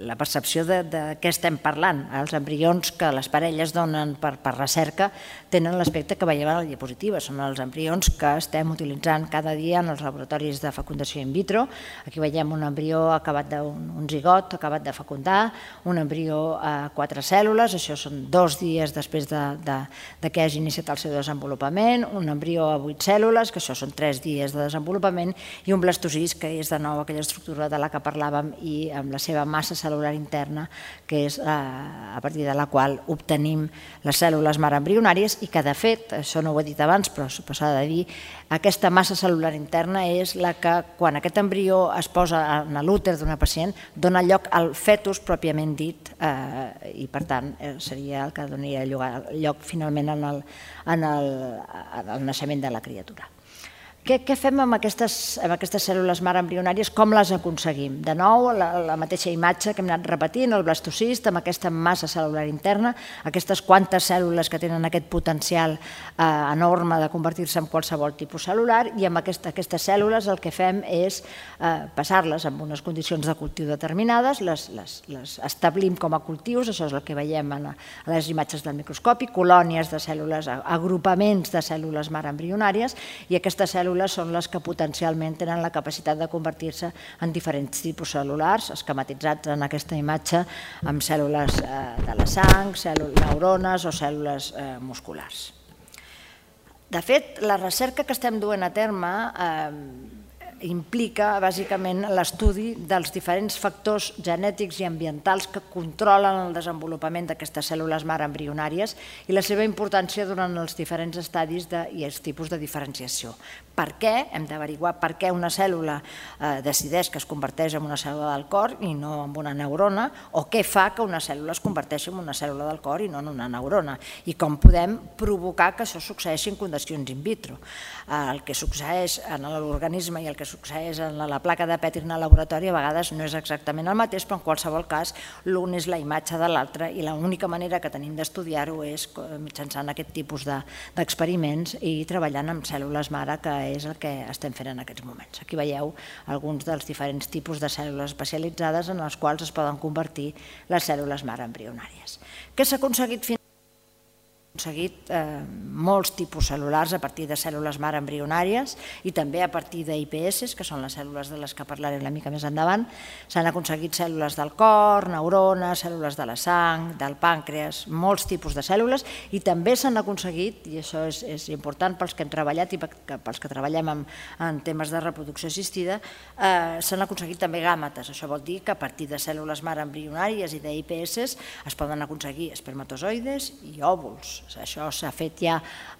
la percepció de, de què estem parlant. Els embrions que les parelles donen per, per recerca tenen l'aspecte que veiem a la diapositiva. Són els embrions que estem utilitzant cada dia en els laboratoris de fecundació in vitro. Aquí veiem un embrió acabat d'un un zigot, acabat de fecundar, un embrió a quatre cèl·lules, això són dos dies després de, de, de que hagi iniciat el seu desenvolupament, un embrió a vuit cèl·lules, que això són tres dies de desenvolupament, i un blastocist, que és de nou aquella estructura de la que parlàvem i amb la seva massa cèl·lular interna, que és a partir de la qual obtenim les cèl·lules mare embrionàries i que, de fet, això no ho he dit abans, però s'ha de dir, aquesta massa cèl·lular interna és la que, quan aquest embrió es posa en l'úter d'una pacient, dona lloc al fetus pròpiament dit i, per tant, seria el que donaria lloc finalment en el naixement de la criatura. Què fem amb aquestes cèl·lules mare embrionàries? Com les aconseguim? De nou, la mateixa imatge que hem anat repetint, el blastocist amb aquesta massa cèl·lular interna, aquestes quantes cèl·lules que tenen aquest potencial enorme de convertir-se en qualsevol tipus cel·lular, i amb aquestes cèl·lules el que fem és passar-les en unes condicions de cultiu determinades, les establim com a cultius, això és el que veiem a les imatges del microscopi, colònies de cèl·lules, agrupaments de cèl·lules mare embrionàries, i aquestes cèl·lules són les que potencialment tenen la capacitat de convertir-se en diferents tipus cel·lulars, esquematitzats en aquesta imatge amb cèl·lules de la sang, neurones o cèl·lules musculars. De fet, la recerca que estem duent a terme implica bàsicament l'estudi dels diferents factors genètics i ambientals que controlen el desenvolupament d'aquestes cèl·lules mare embrionàries i la seva importància durant els diferents estadis i els tipus de diferenciació. Per què? Hem d'averiguar per què una cèl·lula decideix que es converteix en una cèl·lula del cor i no en una neurona, o què fa que una cèl·lula es converteixi en una cèl·lula del cor i no en una neurona, i com podem provocar que això succeeixi en condicions in vitro. El que succeeix en l'organisme i el que succeeix en la placa de Petri en el laboratori a vegades no és exactament el mateix, però en qualsevol cas l'un és la imatge de l'altre i l'única manera que tenim d'estudiar-ho és mitjançant aquest tipus d'experiments i treballant amb cèl·lules mare, que és el que estem fent en aquests moments. Aquí veieu alguns dels diferents tipus de cèl·lules especialitzades en els quals es poden convertir les cèl·lules mare embrionàries. Què s'ha aconseguit fins aconseguit molts tipus cel·lulars a partir de cèl·lules mare embrionàries i també a partir d'I P S, que són les cèl·lules de les que parlaré una mica més endavant. S'han aconseguit cèl·lules del cor, neurones, cèl·lules de la sang, del pàncreas, molts tipus de cèl·lules, i també s'han aconseguit, i això és important pels que hem treballat i pels que treballem en temes de reproducció assistida, s'han aconseguit també gàmetes. Això vol dir que a partir de cèl·lules mare embrionàries i d'I P S es poden aconseguir espermatozoides i òvuls. Això s'ha fet ja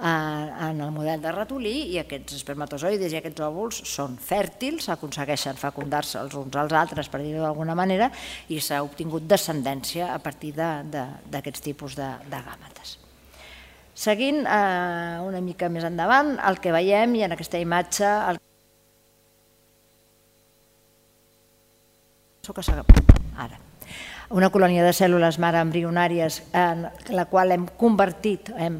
en el model de ratolí i aquests espermatozoides i aquests òvuls són fèrtils, aconsegueixen fecundar-se els uns als altres, per dir-ho d'alguna manera, i s'ha obtingut descendència a partir d'aquests tipus de gàmetes. Seguint una mica més endavant, el que veiem, i en aquesta imatge... Ara. Una colònia de cèl·lules mare embrionàries en la qual hem convertit, hem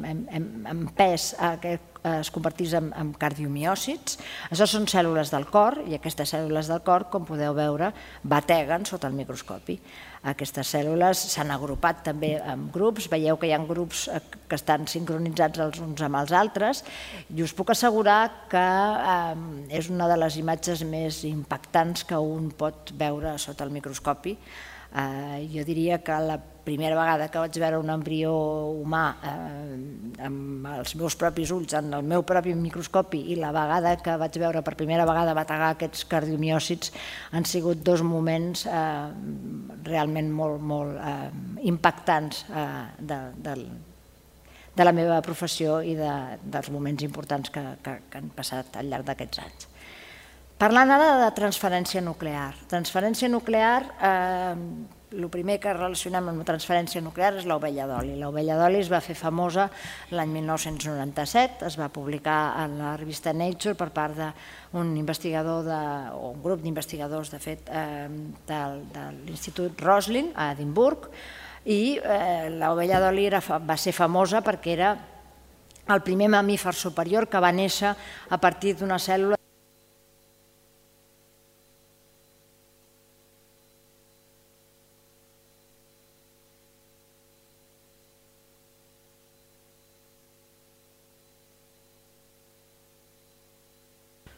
empès que es convertís en cardiomiòcits. Això són cèl·lules del cor i aquestes cèl·lules del cor, com podeu veure, bateguen sota el microscopi. Aquestes cèl·lules s'han agrupat també en grups, veieu que hi ha grups que estan sincronitzats els uns amb els altres, i us puc assegurar que és una de les imatges més impactants que un pot veure sota el microscopi. Jo diria que la primera vegada que vaig veure un embrió humà amb els meus propis ulls, en el meu propi microscopi, i la vegada que vaig veure per primera vegada bategar aquests cardiomiòcits han sigut dos moments realment molt impactants de la meva professió i dels moments importants que han passat al llarg d'aquests anys. Parlant ara de transferència nuclear. Transferència nuclear, el primer que relacionem amb la transferència nuclear és l'ovella d'oli. L'ovella d'oli es va fer famosa l'any mil nou-cents noranta-set, es va publicar en la revista Nature per part d'un investigador, o un grup d'investigadors, de fet, de l'Institut Roslin, a Edimburg, i l'ovella d'oli va ser famosa perquè era el primer mamífer superior que va néixer a partir d'una cèl·lula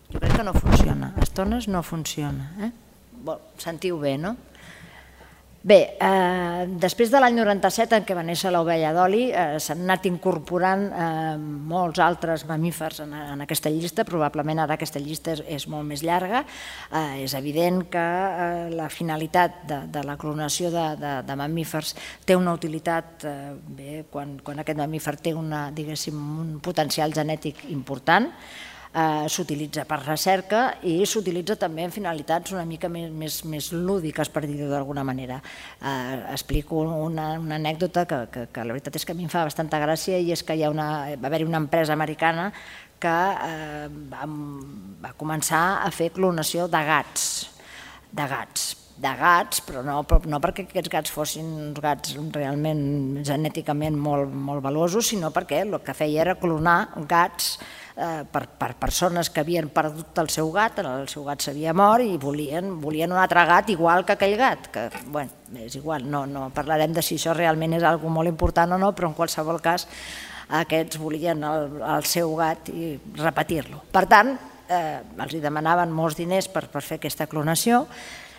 Jo crec que no funciona, a estones no funciona. Sentiu bé, no? Bé, després de l'any noranta-set en què va néixer l'ovella d'oli s'han anat incorporant molts altres mamífers en aquesta llista, probablement ara aquesta llista és molt més llarga. És evident que la finalitat de la clonació de mamífers té una utilitat, quan aquest mamífer té un potencial genètic important, s'utilitza per recerca i s'utilitza també en finalitats una mica més lúdiques, per dir-ho d'alguna manera. Explico una anècdota que la veritat és que a mi em fa bastanta gràcia, i és que va haver-hi una empresa americana que va començar a fer clonació de gats, de gats, de gats, però no perquè aquests gats fossin uns gats realment genèticament molt valuosos, sinó perquè el que feia era clonar gats per persones que havien perdut el seu gat, el seu gat s'havia mort i volien un altre gat igual que aquell gat, que, bé, és igual, no parlarem de si això realment és una cosa molt important o no, però en qualsevol cas aquests volien el seu gat i repetir-lo. Per tant, els demanaven molts diners per fer aquesta clonació.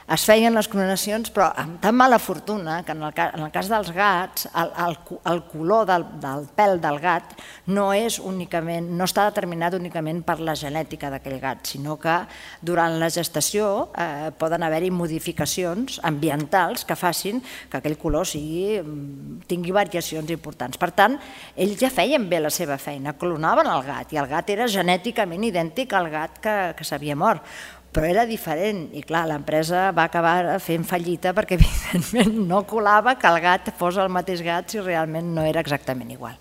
Es feien les clonacions, però amb tan mala fortuna que en el cas dels gats el color del pèl del gat no està determinat únicament per la genètica d'aquell gat, sinó que durant la gestació poden haver-hi modificacions ambientals que facin que aquell color tingui variacions importants. Per tant, ells ja feien bé la seva feina, clonaven el gat, i el gat era genèticament idèntic al gat que s'havia mort. Però era diferent, i clar, l'empresa va acabar fent fallida perquè evidentment no colava que el gat fos el mateix gat si realment no era exactament igual.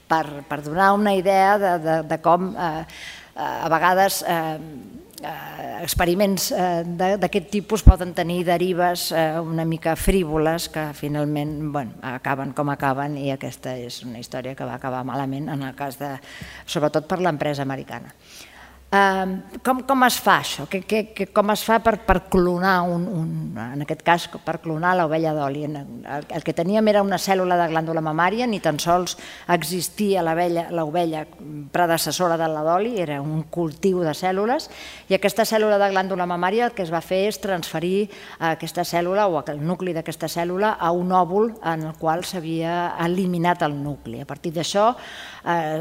Per donar una idea de com a vegades experiments d'aquest tipus poden tenir derives una mica frívoles que finalment acaben com acaben, i aquesta és una història que va acabar malament en el cas de, sobretot per l'empresa americana. Com es fa això? Com es fa per clonar, en aquest cas, per clonar l'ovella d'oli? El que teníem era una cèl·lula de glàndula mamària, ni tan sols existia l'ovella predecessora de la d'oli, era un cultiu de cèl·lules, i aquesta cèl·lula de glàndula mamària el que es va fer és transferir aquesta cèl·lula o el nucli d'aquesta cèl·lula a un òvul en el qual s'havia eliminat el nucli. A partir d'això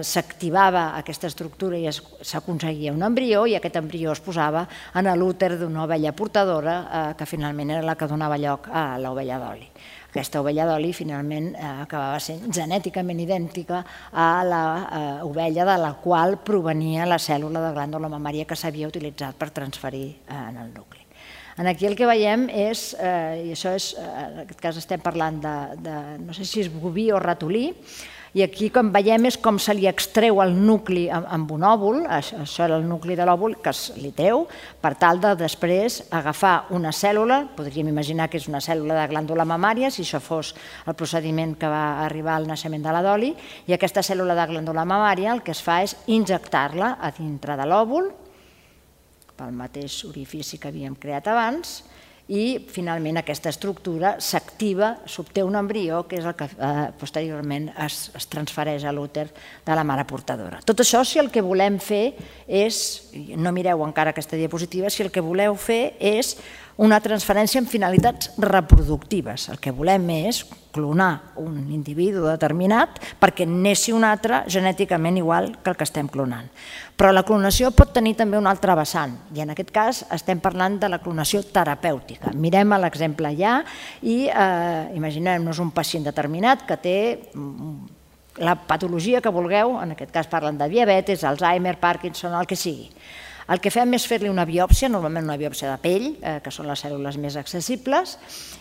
s'activava aquesta estructura i s'aconseguia un embrió, i aquest embrió es posava en l'úter d'una ovella portadora que finalment era la que donava lloc a l'ovella d'oli. Aquesta ovella d'oli finalment acabava sent genèticament idèntica a l'ovella de la qual provenia la cèl·lula de glàndula mamària que s'havia utilitzat per transferir en el nucli. Aquí el que veiem és, i això és, en aquest cas estem parlant de, no sé si és boví o ratolí, i aquí com veiem és com se li extreu el nucli amb un òvul, això era el nucli de l'òvul que es li treu, per tal de després agafar una cèl·lula, podríem imaginar que és una cèl·lula de glàndula mamària, si això fos el procediment que va arribar al naixement de la d'oli, i aquesta cèl·lula de glàndula mamària el que es fa és injectar-la a dintre de l'òvul, pel mateix orifici que havíem creat abans, i finalment aquesta estructura s'activa, s'obté un embrió que és el que posteriorment es transfereix a l'úter de la mare portadora. Tot això, si el que volem fer és, no mireu encara aquesta diapositiva, si el que voleu fer és una transferència amb finalitats reproductives. El que volem és clonar un individu determinat perquè neixi un altre genèticament igual que el que estem clonant. Però la clonació pot tenir també un altre vessant, i en aquest cas estem parlant de la clonació terapèutica. Mirem l'exemple allà i imaginem-nos un pacient determinat que té la patologia que vulgueu, en aquest cas parlen de diabetis, Alzheimer, Parkinson, el que sigui. El que fem és fer-li una biòpsia, normalment una biòpsia de pell, que són les cèl·lules més accessibles,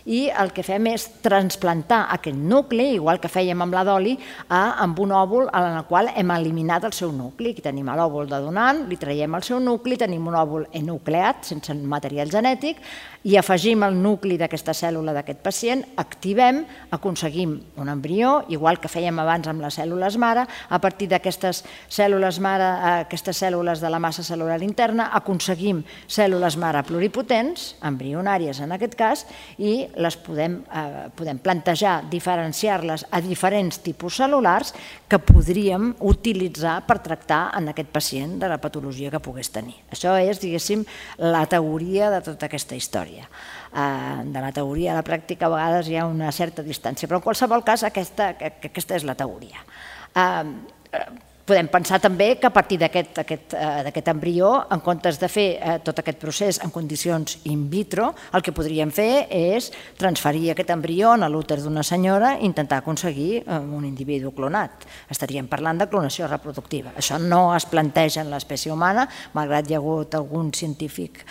i el que fem és transplantar aquest nucli, igual que fèiem amb la d'oli, amb un òvul en el qual hem eliminat el seu nucli. Aquí tenim l'òvul de donant, li traiem el seu nucli, tenim un òvul enucleat, sense material genètic, i afegim el nucli d'aquesta cèl·lula d'aquest pacient, activem, aconseguim un embrió, igual que fèiem abans amb les cèl·lules mare, a partir d'aquestes cèl·lules mare, aquestes cèl·lules de la massa cel·lular interna, aconseguim cèl·lules mare pluripotents, embrionàries en aquest cas, i les podem plantejar, diferenciar-les a diferents tipus cel·lulars que podríem utilitzar per tractar en aquest pacient de la patologia que pogués tenir. Això és, diguéssim, la teoria de tota aquesta història. De la teoria a la pràctica a vegades hi ha una certa distància, però en qualsevol cas aquesta és la teoria. Podem pensar també que a partir d'aquest embrió, en comptes de fer tot aquest procés en condicions in vitro, el que podríem fer és transferir aquest embrió en l'úter d'una senyora i intentar aconseguir un individu clonat. Estaríem parlant de clonació reproductiva. Això no es planteja en l'espècie humana, malgrat hi ha hagut algun científic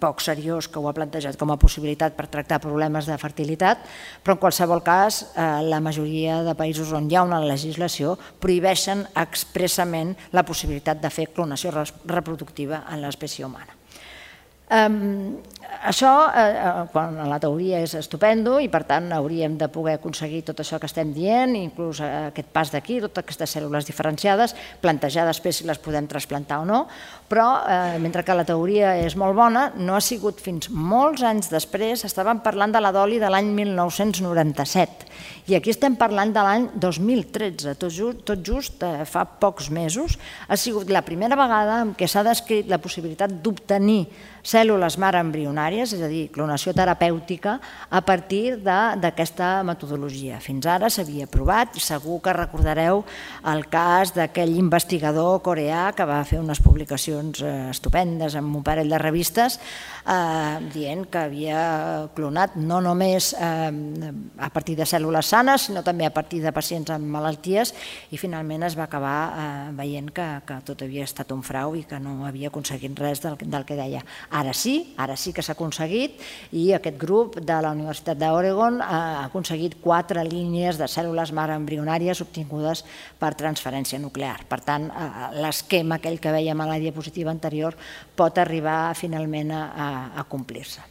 poc seriós que ho ha plantejat com a possibilitat per tractar problemes de fertilitat, però en qualsevol cas la majoria de països on hi ha una legislació prohibeixen expressament la possibilitat de fer clonació reproductiva en l'espècie humana. Això, la teoria és estupendo i per tant hauríem de poder aconseguir tot això que estem dient, inclús aquest pas d'aquí, totes aquestes cèl·lules diferenciades, plantejar després si les podem trasplantar o no, però mentre que la teoria és molt bona, no ha sigut fins molts anys després, estàvem parlant de la d'oli de l'any mil nou-cents noranta-set i aquí estem parlant de l'any dos mil tretze, tot just fa pocs mesos, ha sigut la primera vegada en què s'ha descrit la possibilitat d'obtenir cèl·lules mare embrionàries, és a dir, clonació terapèutica, a partir d'aquesta metodologia. Fins ara s'havia provat i segur que recordareu el cas d'aquell investigador coreà que va fer unes publicacions estupendes en un parell de revistes dient que havia clonat no només a partir de cèl·lules sanes, sinó també a partir de pacients amb malalties i finalment es va acabar veient que tot havia estat un frau i que no havia aconseguit res del que deia. Ara sí, ara sí que s'ha aconseguit i aquest grup de la Universitat d'Oregon ha aconseguit quatre línies de cèl·lules mare embrionàries obtingudes per transferència nuclear. Per tant, l'esquema aquell que vèiem a la diapositiva anterior pot arribar finalment a complir-se.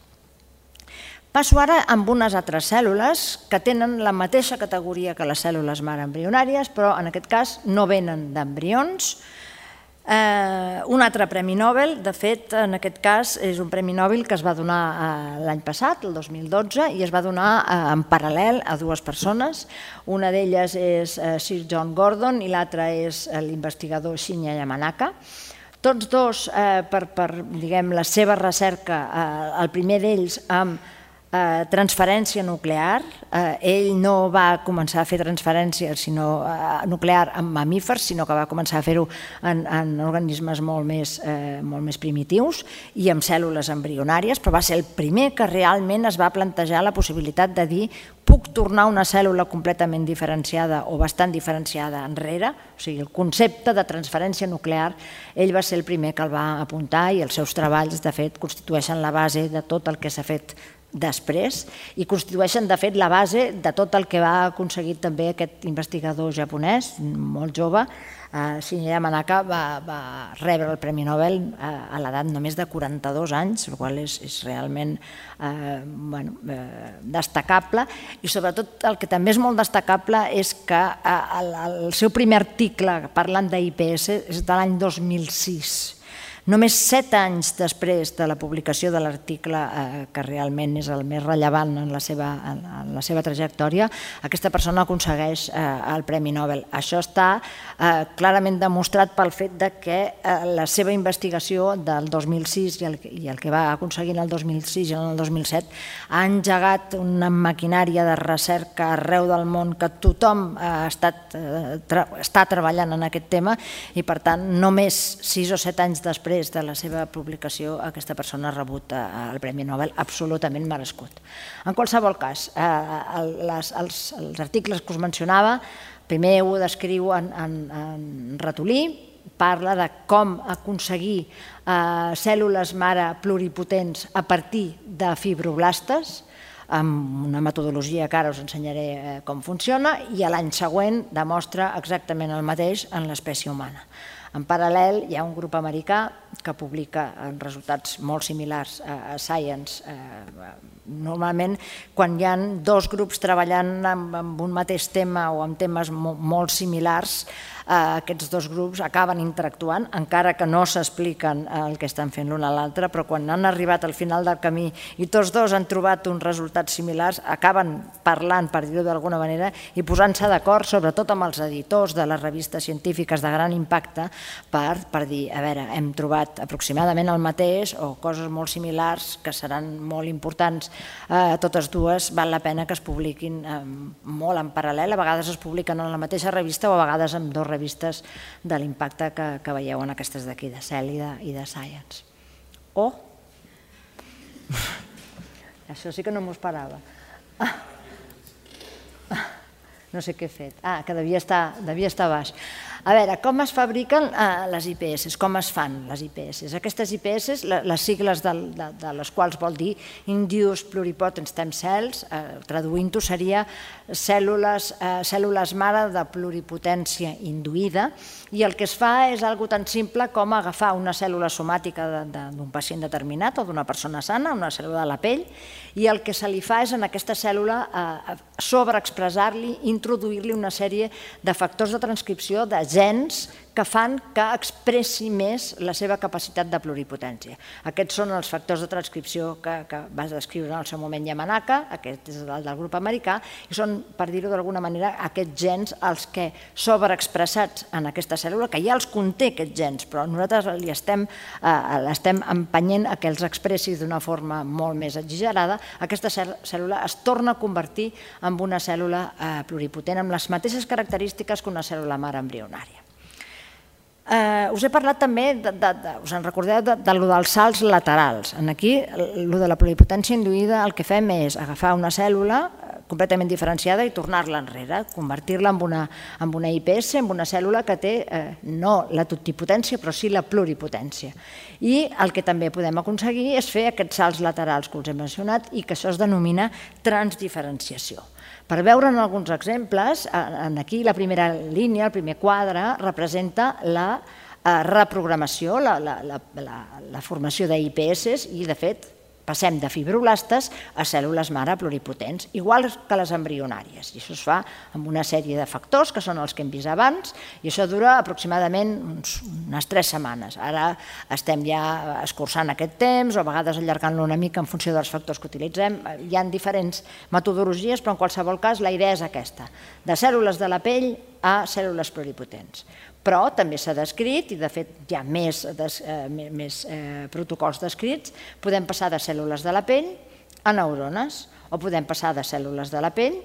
Passo ara amb unes altres cèl·lules que tenen la mateixa categoria que les cèl·lules mare embrionàries, però en aquest cas no venen d'embrions, Un altre Premi Nobel, de fet, en aquest cas, és un Premi Nobel que es va donar l'any passat, el dos mil dotze, i es va donar en paral·lel a dues persones. Una d'elles és Sir John Gordon i l'altra és l'investigador Shinya Yamanaka. Tots dos, per la seva recerca, el primer d'ells amb transferència nuclear. Ell no va començar a fer transferència nuclear en mamífers, sinó que va començar a fer-ho en organismes molt més primitius i amb cèl·lules embrionàries, però va ser el primer que realment es va plantejar la possibilitat de dir puc tornar una cèl·lula completament diferenciada o bastant diferenciada enrere, o sigui, el concepte de transferència nuclear, ell va ser el primer que el va apuntar i els seus treballs, de fet, constitueixen la base de tot el que s'ha fet després i constitueixen, de fet, la base de tot el que va aconseguir també aquest investigador japonès, molt jove. Shinya Yamanaka va rebre el Premi Nobel a l'edat només de quaranta-dos anys, el qual és realment destacable, i sobretot el que també és molt destacable és que el seu primer article parlant d'I P S és de l'any dos mil sis. Només set anys després de la publicació de l'article, que realment és el més rellevant en la seva trajectòria, aquesta persona aconsegueix el Premi Nobel. Això està clarament demostrat pel fet que la seva investigació del dos mil sis i el que va aconseguir en el dos mil sis i en el dos mil set ha engegat una maquinària de recerca arreu del món que tothom està treballant en aquest tema i, per tant, només sis o set anys després de la seva publicació, aquesta persona ha rebut el Premi Nobel absolutament merescut. En qualsevol cas, els articles que us mencionava, primer ho descriu en ratolí, parla de com aconseguir cèl·lules mare pluripotents a partir de fibroblastes, amb una metodologia que ara us ensenyaré com funciona, i l'any següent demostra exactament el mateix en l'espècie humana. En paral·lel, hi ha un grup americà que publica resultats molt similars a Science. Normalment, quan hi ha dos grups treballant amb un mateix tema o amb temes molt similars, aquests dos grups acaben interactuant, encara que no s'expliquen el que estan fent l'un a l'altre, però quan han arribat al final del camí i tots dos han trobat uns resultats similars, acaben parlant, per dir-ho d'alguna manera, i posant-se d'acord, sobretot amb els editors de les revistes científiques de gran impacte, per dir, a veure, hem trobat aproximadament el mateix o coses molt similars que seran molt importants. Totes dues val la pena que es publiquin molt en paral·lel, a vegades es publiquen en la mateixa revista o a vegades en dues revistes de l'impacte que veieu en aquestes d'aquí, de Cell i de Science. Oh! Això sí que no m'ho esperava. No sé què he fet. Ah, que devia estar baix. A veure, com es fabriquen les I P S? Com es fan les I P S? Aquestes I P S, les sigles de les quals vol dir Induced Pluripotent Stem Cells, traduint-ho seria cèl·lules mare de pluripotència induïda, i el que es fa és una cosa tan simple com agafar una cèl·lula somàtica d'un pacient determinat o d'una persona sana, una cèl·lula de la pell, i el que se li fa és en aquesta cèl·lula sobreexpressar-li, introduir-li una sèrie de factors de transcripció, de gens que fan que expressi més la seva capacitat de pluripotència. Aquests són els factors de transcripció que va descriure en el seu moment Yamanaka, aquest és el del grup americà, i són, per dir-ho d'alguna manera, aquests gens els que sobreexpressats en aquesta cèl·lula, que ja els conté aquests gens, però nosaltres l'estem empenyent a que els expressi d'una forma molt més exagerada, aquesta cèl·lula es torna a convertir en una cèl·lula pluripotent amb les mateixes característiques que una cèl·lula mare embrionària. Us he parlat també, us en recordeu, dels salts laterals. Aquí, el de la pluripotència induïda, el que fem és agafar una cèl·lula completament diferenciada i tornar-la enrere, convertir-la en una I P S, en una cèl·lula que té no la totipotència, però sí la pluripotència. I el que també podem aconseguir és fer aquests salts laterals que us he mencionat i que això es denomina transdiferenciació. Per veure'n alguns exemples, aquí la primera línia, el primer quadre, representa la reprogramació, la formació d'I P S, i de fet passem de fibroblastes a cèl·lules mare pluripotents, igual que les embrionàries. I això es fa amb una sèrie de factors, que són els que hem vist abans, i això dura aproximadament unes tres setmanes. Ara estem ja escurçant aquest temps, o a vegades allargant-lo una mica en funció dels factors que utilitzem. Hi ha diferents metodologies, però en qualsevol cas la idea és aquesta, de cèl·lules de la pell a cèl·lules pluripotents. Però també s'ha descrit, i de fet hi ha més protocols descrits, podem passar de cèl·lules de la pell a neurones, o podem passar de cèl·lules de la pell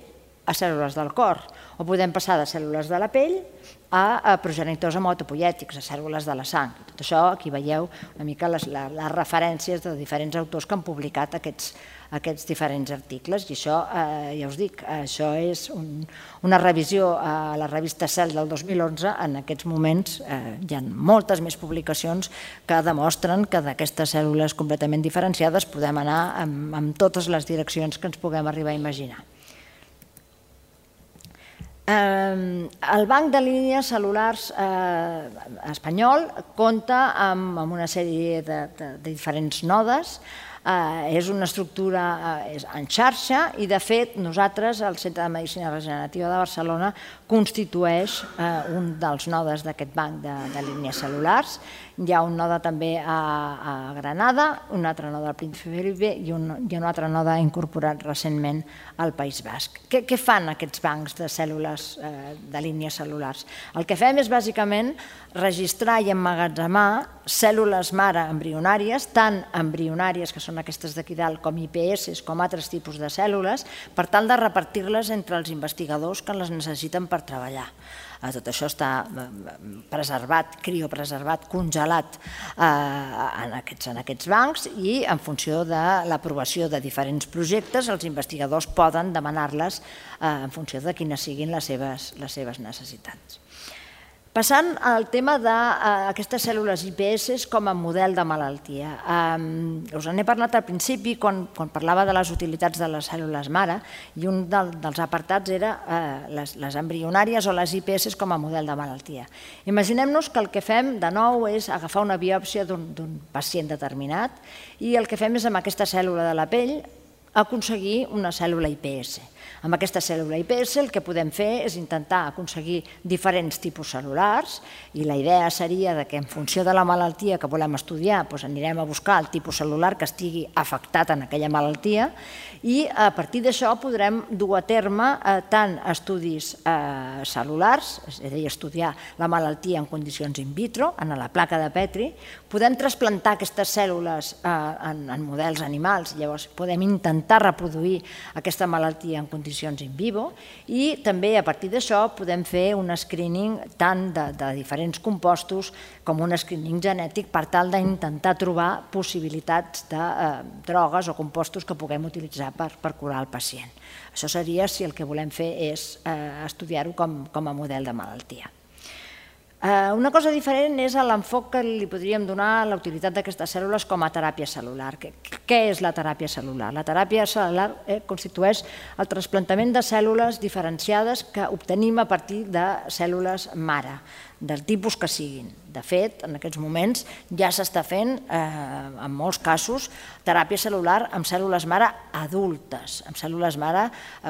a cèl·lules del cor, o podem passar de cèl·lules de la pell a progenitors hematopoiètics, a cèl·lules de la sang. Tot això, aquí veieu una mica les referències de diferents autors que han publicat aquests aquests diferents articles, i això, ja us dic, això és una revisió a la revista Cell del dos mil onze. En aquests moments hi ha moltes més publicacions que demostren que d'aquestes cèl·lules completament diferenciades podem anar en totes les direccions que ens puguem arribar a imaginar. El banc de línies cel·lulars espanyol compta amb una sèrie de diferents nodes. És una estructura en xarxa i, de fet, nosaltres, el Centre de Medicina Regenerativa de Barcelona, constitueix un dels nodes d'aquest banc de línies cel·lulars. Hi ha un node també a Granada, un altre node al Príncipe Felipe i un altre node incorporat recentment al País Basc. Què fan aquests bancs de cèl·lules de línies cel·lulars? El que fem és, bàsicament, registrar i emmagatzemar cèl·lules mare embrionàries, tant embrionàries, que són aquestes d'aquí dalt, com I P S, com altres tipus de cèl·lules, per tal de repartir-les entre els investigadors que les necessiten per treballar. Tot això està preservat, criopreservat, congelat en aquests bancs, i en funció de l'aprovació de diferents projectes els investigadors poden demanar-les en funció de quines siguin les seves necessitats. Passant al tema d'aquestes cèl·lules I P S com a model de malaltia. Us n'he parlat al principi quan parlava de les utilitats de les cèl·lules mare, i un dels apartats era les embrionàries o les I P S com a model de malaltia. Imaginem-nos que el que fem de nou és agafar una biòpsia d'un pacient determinat, i el que fem és amb aquesta cèl·lula de la pell aconseguir una cèl·lula I P S. Amb aquesta cèl·lula I P S el que podem fer és intentar aconseguir diferents tipus cel·lulars, i la idea seria que en funció de la malaltia que volem estudiar anirem a buscar el tipus cel·lular que estigui afectat en aquella malaltia, i a partir d'això podrem dur a terme tant estudis cel·lulars, és a dir, estudiar la malaltia en condicions in vitro, en la placa de Petri, podem trasplantar aquestes cèl·lules en models animals, llavors podem intentar reproduir aquesta malaltia en condicions in vivo, i també a partir d'això podem fer un screening tant de diferents compostos com un screening genètic per tal d'intentar trobar possibilitats de drogues o compostos que puguem utilitzar per curar el pacient. Això seria si el que volem fer és estudiar-ho com a model de malaltia. Una cosa diferent és l'enfoc que li podríem donar a la utilitat d'aquestes cèl·lules com a teràpia cel·lular. Què és la teràpia cel·lular? La teràpia cel·lular constitueix el trasplantament de cèl·lules diferenciades que obtenim a partir de cèl·lules mare, del tipus que siguin. De fet, en aquests moments ja s'està fent, en molts casos, teràpia cel·lular amb cèl·lules mare adultes, amb cèl·lules mare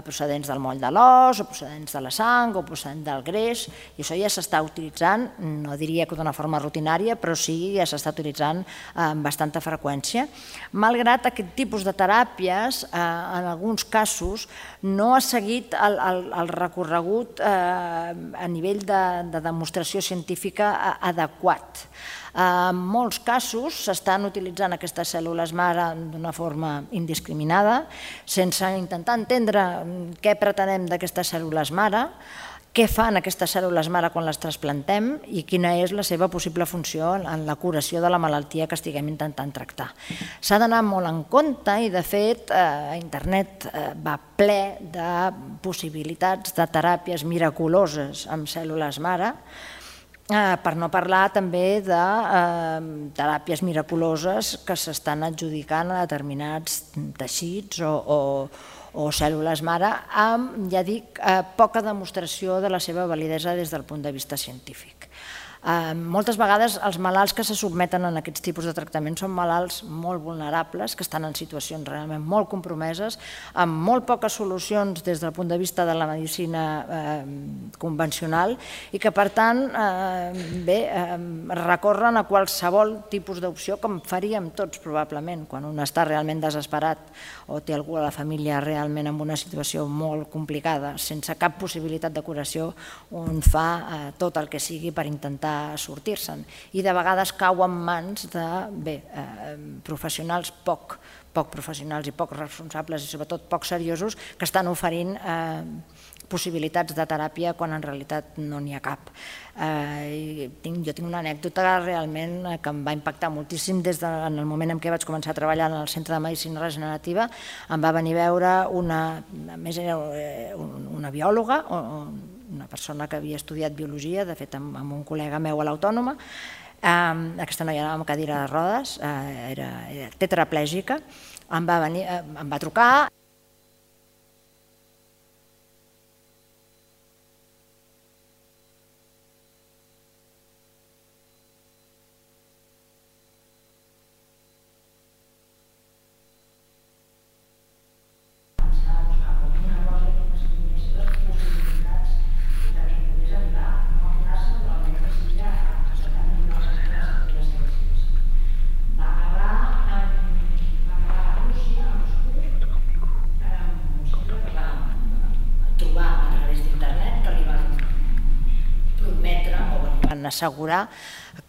procedents del moll de l'os, o procedents de la sang, o procedents del greix, i això ja s'està utilitzant, no diria que d'una forma rutinària, però sí ja s'està utilitzant amb bastanta freqüència. Malgrat aquest tipus de teràpies, en alguns casos, no ha seguit el recorregut a nivell de demostració científica adequat. En molts casos s'estan utilitzant aquestes cèl·lules mare d'una forma indiscriminada, sense intentar entendre què pretenem d'aquestes cèl·lules mare, què fan aquestes cèl·lules mare quan les trasplantem i quina és la seva possible funció en la curació de la malaltia que estiguem intentant tractar. S'ha d'anar molt en compte, i de fet internet va ple de possibilitats de teràpies miraculoses amb cèl·lules mare, per no parlar també de teràpies miraculoses que s'estan adjudicant a determinats teixits o cèl·lules mare amb, ja dic, poca demostració de la seva validesa des del punt de vista científic. Moltes vegades els malalts que se sotmeten a aquests tipus de tractaments són malalts molt vulnerables, que estan en situacions realment molt compromeses, amb molt poques solucions des del punt de vista de la medicina convencional i que, per tant, bé, recorren a qualsevol tipus d'opció, com faríem tots probablement, quan un està realment desesperat o té algú a la família realment en una situació molt complicada, sense cap possibilitat de curació, un fa tot el que sigui per intentar sortir-se'n i de vegades cau en mans de professionals poc professionals i poc responsables i sobretot poc seriosos que estan oferint possibilitats de teràpia quan en realitat no n'hi ha cap. Jo tinc una anècdota realment que em va impactar moltíssim des del moment en què vaig començar a treballar en el Centre de Medicina Regenerativa. Em va venir a veure una, a més era una biòloga, una persona que havia estudiat biologia, de fet amb un col·lega meu a l'Autònoma. Aquesta noia anava amb cadira de rodes, era tetraplègica, em va trucar. Assegurar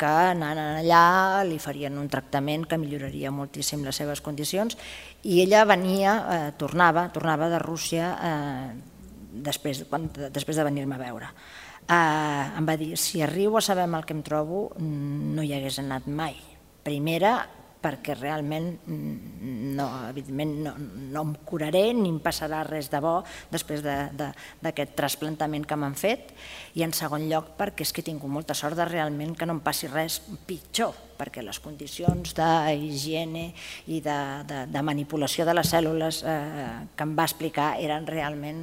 que anant allà li farien un tractament que milloraria moltíssim les seves condicions i ella venia, tornava, tornava de Rússia després de venir-me a veure. Em va dir, si arribo a saber el que em trobo, no hi hagués anat mai. Primera, perquè realment evidentment no em curaré ni em passarà res de bo després d'aquest trasplantament que m'han fet, i en segon lloc perquè és que he tingut molta sort de realment que no em passi res pitjor, perquè les condicions d'higiene i de manipulació de les cèl·lules que em va explicar eren realment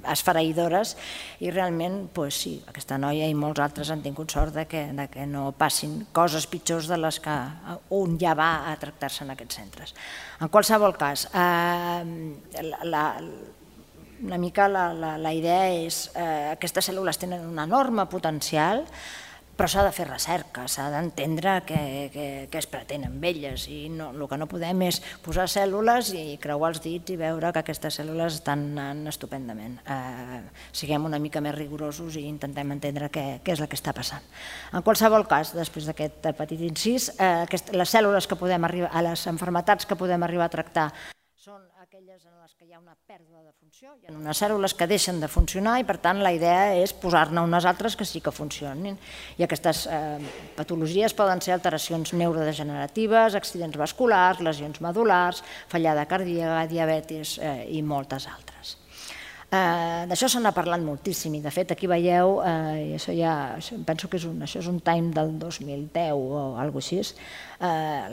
esfereïdores i realment, doncs sí, aquesta noia i molts altres han tingut sort que no passin coses pitjors de les que un ja va a tractar-se en aquests centres. En qualsevol cas, una mica la idea és que aquestes cèl·lules tenen un enorme potencial, però s'ha de fer recerca, s'ha d'entendre què es pretén amb elles i el que no podem és posar cèl·lules i creuar els dits i veure que aquestes cèl·lules estan anant estupendament. Siguem una mica més rigorosos i intentem entendre què és el que està passant. En qualsevol cas, després d'aquest petit incís, les cèl·lules que podem arribar, les malalties que podem arribar a tractar són aquelles en les que hi ha una pèrdua de funció, hi ha unes cèl·lules que deixen de funcionar i per tant la idea és posar-ne unes altres que sí que funcionin. I aquestes patologies poden ser alteracions neurodegeneratives, accidents vasculars, lesions medul·lars, fallada cardíaca, diabetis i moltes altres. D'això se n'ha parlat moltíssim i de fet aquí veieu, i això ja penso que això és un Time del dos mil deu o alguna cosa així,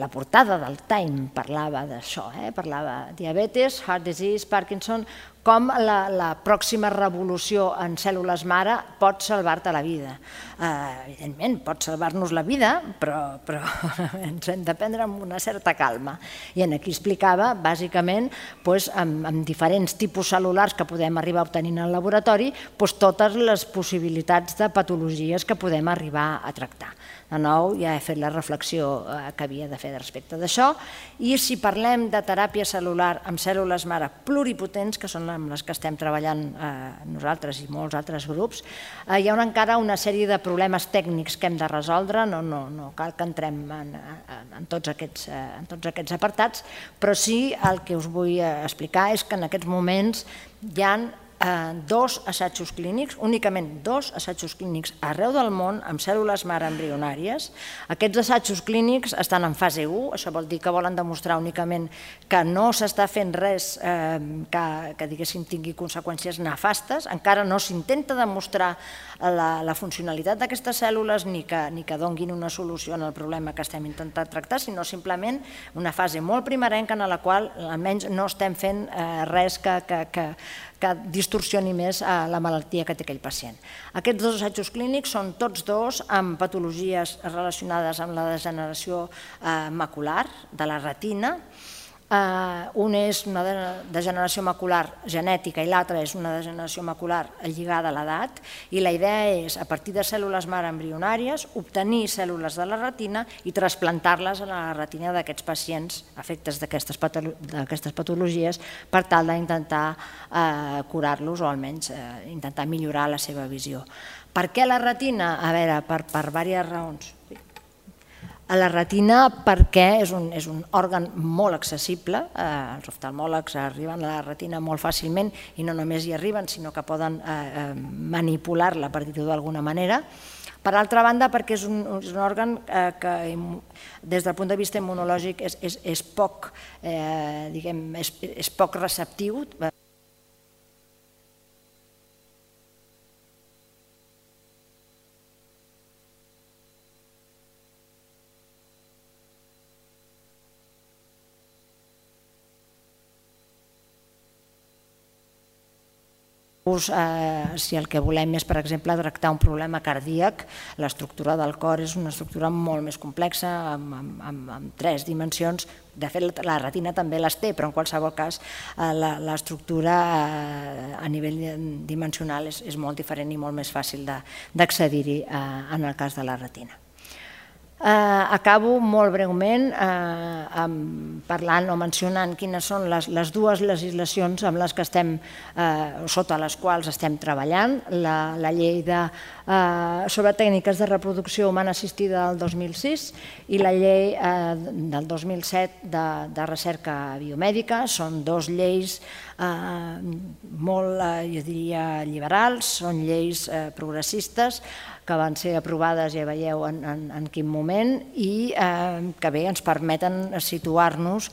la portada del Time parlava d'això, parlava diabetis, heart disease, Parkinson, com la pròxima revolució en cèl·lules mare pot salvar-te la vida. Evidentment, pot salvar-nos la vida, però ens hem de prendre amb una certa calma. I aquí explicava, bàsicament, amb diferents tipus cel·lulars que podem arribar a obtenir en el laboratori, totes les possibilitats de patologies que podem arribar a tractar. De nou, ja he fet la reflexió que havia de fer respecte d'això. I si parlem de teràpia cel·lular amb cèl·lules mare pluripotents, que són amb les que estem treballant nosaltres i molts altres grups, hi ha encara una sèrie de problemes tècnics que hem de resoldre, no cal que entrem en tots aquests apartats, però sí el que us vull explicar és que en aquests moments hi ha dos assajos clínics, únicament dos assajos clínics arreu del món amb cèl·lules mare embrionàries. Aquests assajos clínics estan en fase u, això vol dir que volen demostrar únicament que no s'està fent res que diguéssim tingui conseqüències nefastes, encara no s'intenta demostrar la funcionalitat d'aquestes cèl·lules ni que donguin una solució al problema que estem intentant tractar, sinó simplement una fase molt primerenca en la qual almenys no estem fent res que distorsioni distorsioni més la malaltia que té aquell pacient. Aquests dos assajos clínics són tots dos amb patologies relacionades amb la degeneració macular de la retina. Un és una degeneració macular genètica i l'altre és una degeneració macular lligada a l'edat, i la idea és, a partir de cèl·lules mare embrionàries, obtenir cèl·lules de la retina i trasplantar-les a la retina d'aquests pacients afectes d'aquestes patologies per tal d'intentar curar-los o almenys intentar millorar la seva visió. Per què la retina? A veure, per diverses raons. A la retina perquè és un òrgan molt accessible, els oftalmòlegs arriben a la retina molt fàcilment i no només hi arriben, sinó que poden manipular-la, per dir-ho d'alguna manera. Per altra banda, perquè és un òrgan que des del punt de vista immunològic és poc receptiu. Si el que volem és, per exemple, tractar un problema cardíac, l'estructura del cor és una estructura molt més complexa, amb tres dimensions. De fet, la retina també les té, però en qualsevol cas l'estructura a nivell dimensional és molt diferent i molt més fàcil d'accedir-hi en el cas de la retina. Acabo molt breument parlant o mencionant quines són les dues legislacions amb les que estem, sota les quals estem treballant. La llei sobre tècniques de reproducció humana assistida del dos mil sis i la llei del dos mil set de recerca biomèdica. Són dues lleis molt, jo diria, liberals, són lleis progressistes que van ser aprovades, ja veieu en quin moment, i que bé ens permeten situar-nos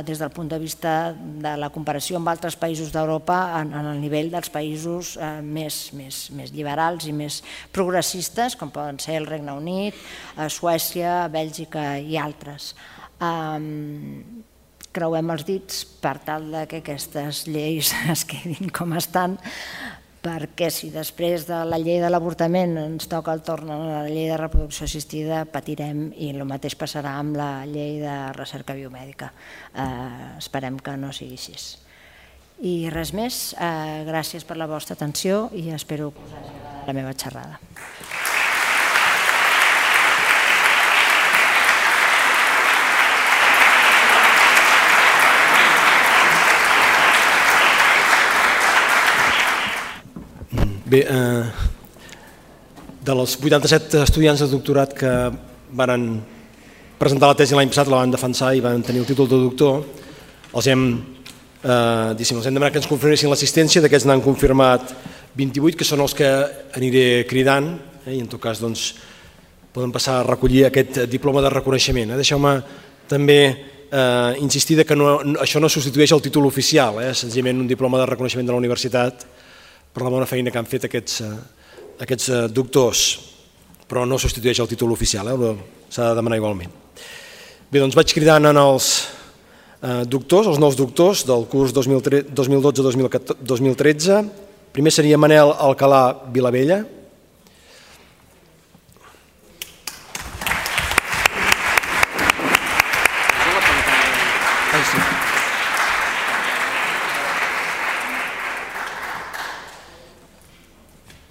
des del punt de vista de la comparació amb altres països d'Europa en el nivell dels països més liberals i més progressistes, com poden ser el Regne Unit, Suècia, Bèlgica i altres. Creuem els dits per tal que aquestes lleis es quedin com estan, perquè si després de la llei de l'avortament ens toca el torn a la llei de reproducció assistida, patirem, i el mateix passarà amb la llei de recerca biomèdica. Esperem que no sigui així. I res més, gràcies per la vostra atenció i espero que us hagi agradat la meva xerrada. Bé, dels vuitanta-set estudiants de doctorat que van presentar la tesi l'any passat, la van defensar i van tenir el títol de doctor, els hem demanat que ens confirmessin l'assistència. D'aquests n'han confirmat vint-i-vuit, que són els que aniré cridant, i en tot cas poden passar a recollir aquest diploma de reconeixement. Deixeu-me també insistir que això no substitueix el títol oficial, senzillament un diploma de reconeixement de la universitat per la bona feina que han fet aquests doctors, però no substitueix el títol oficial, s'ha de demanar igualment. Bé, doncs vaig cridant als doctors, els nous doctors del curs dos mil dotze dos mil tretze. Primer seria Manel Alcalà Vilabella.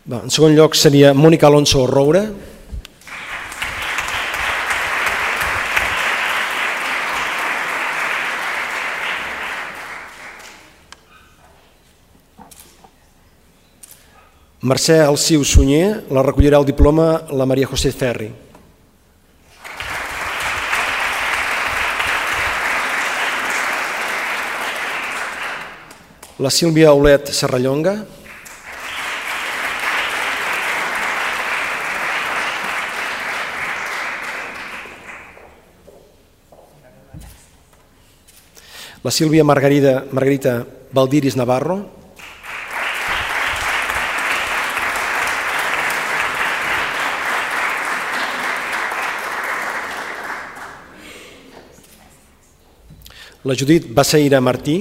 En segon lloc seria Mònica Alonso Roura. Mercè Alciu Sunyer, la recollirà el diploma la Maria José Ferri. La Sílvia Aulet Serrallonga. La Sílvia Margarita Valdiris Navarro. La Judit Baceira Martí.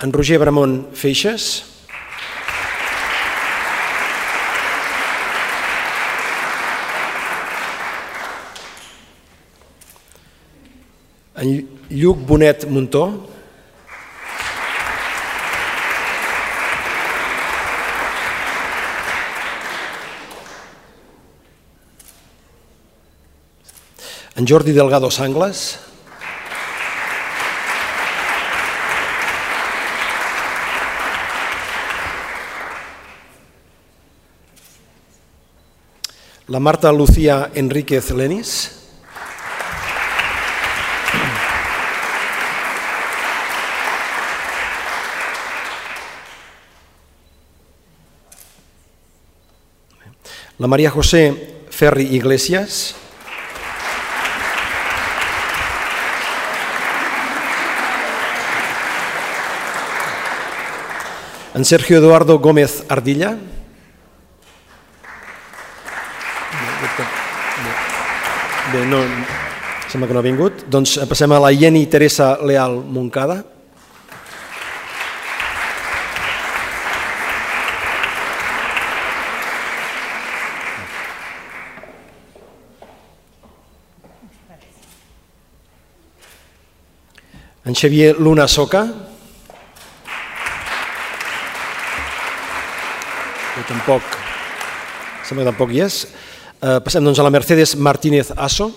en Roger Bramont Feixes, en Lluc Bonet Muntó, en Jordi Delgado Sanglas, la Marta Lucía Enríquez Lenis, la María José Ferri Iglesias, en Sergio Eduardo Gómez Ardilla, bé, no, sembla que no ha vingut, doncs passem a la Jenny Teresa Leal Moncada, en Xavier Luna Soca, que tampoc, sembla que tampoc hi és. Eh, passem doncs a la Mercedes Martínez Asso,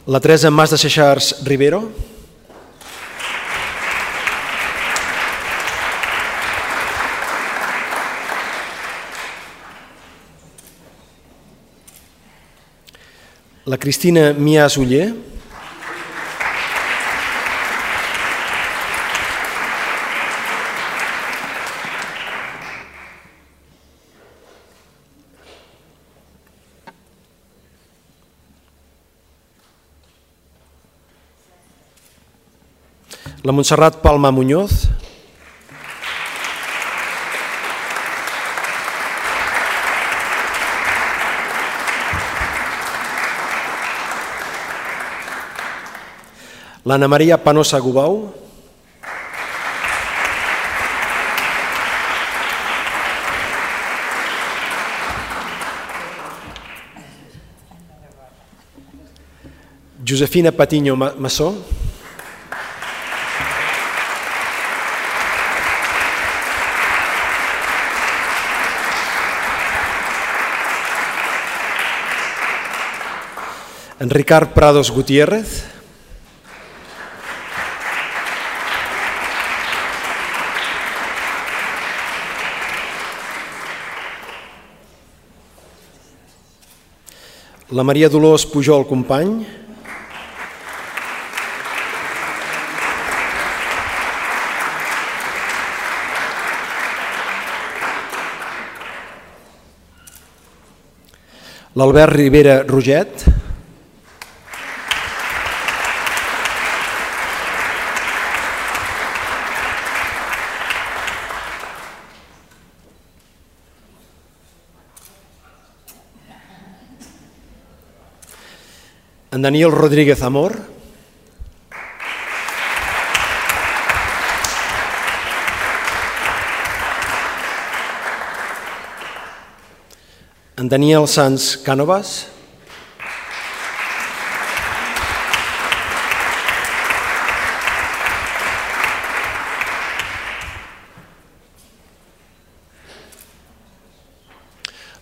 la Teresa Mas de Seixars Rivero, la Cristina Mias Uller, la Montserrat Palma Muñoz, l'Anna Maria Panosa Gubau, Josefina Patiño Massó, en Ricard Prados Gutiérrez, la Maria Dolors Pujol Company, l'Albert Rivera Roget, en Daniel Rodríguez Amor, en Daniel Sanz Cánovas,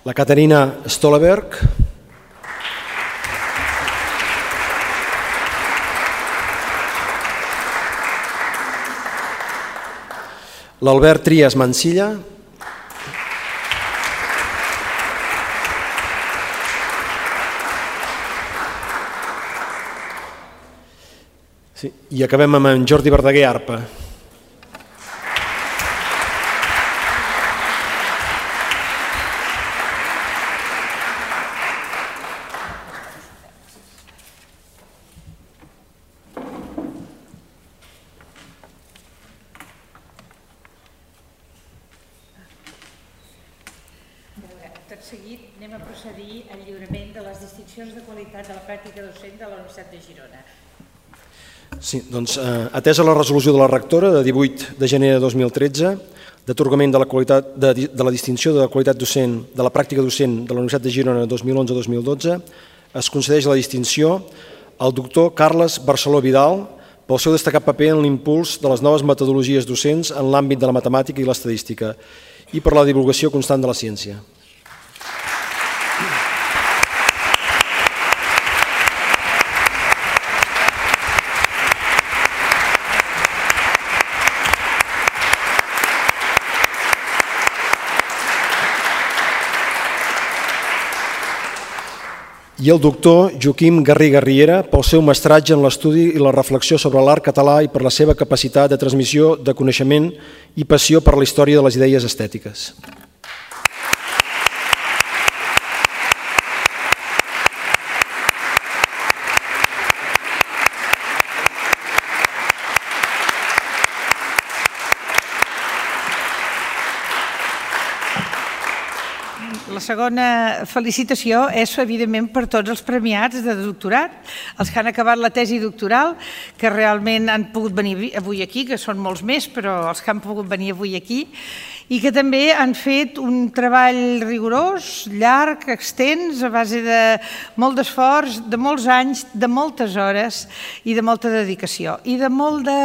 la Caterina Stolberg, l'Albert Trias Mansilla, sí, i acabem amb en Jordi Verdaguer Arpa. tot seguit anem a procedir al lliurament de les distincions de qualitat de la pràctica docent de la Universitat de Girona. Sí, doncs, eh, atesa la resolució de la rectora de divuit de gener de dos mil tretze, d'atorgament de, la qualitat, de, de la distinció de la qualitat docent de la pràctica docent de la Universitat de Girona dos mil onze dos mil dotze, es concedeix la distinció al doctor Carles Barceló Vidal pel seu destacat paper en l'impuls de les noves metodologies docents en l'àmbit de la matemàtica i l'estadística i per la divulgació constant de la ciència. I el doctor Joaquim Garriga Riera pel seu mestratge en l'estudi i la reflexió sobre l'art català i per la seva capacitat de transmissió de coneixement i passió per la història de les idees estètiques. La segona felicitació és, evidentment, per tots els premiats de doctorat, els que han acabat la tesi doctoral, que realment han pogut venir avui aquí, que són molts més, però els que han pogut venir avui aquí, i que també han fet un treball rigorós, llarg, extens, a base de molt d'esforç, de molts anys, de moltes hores i de molta dedicació, i de molt de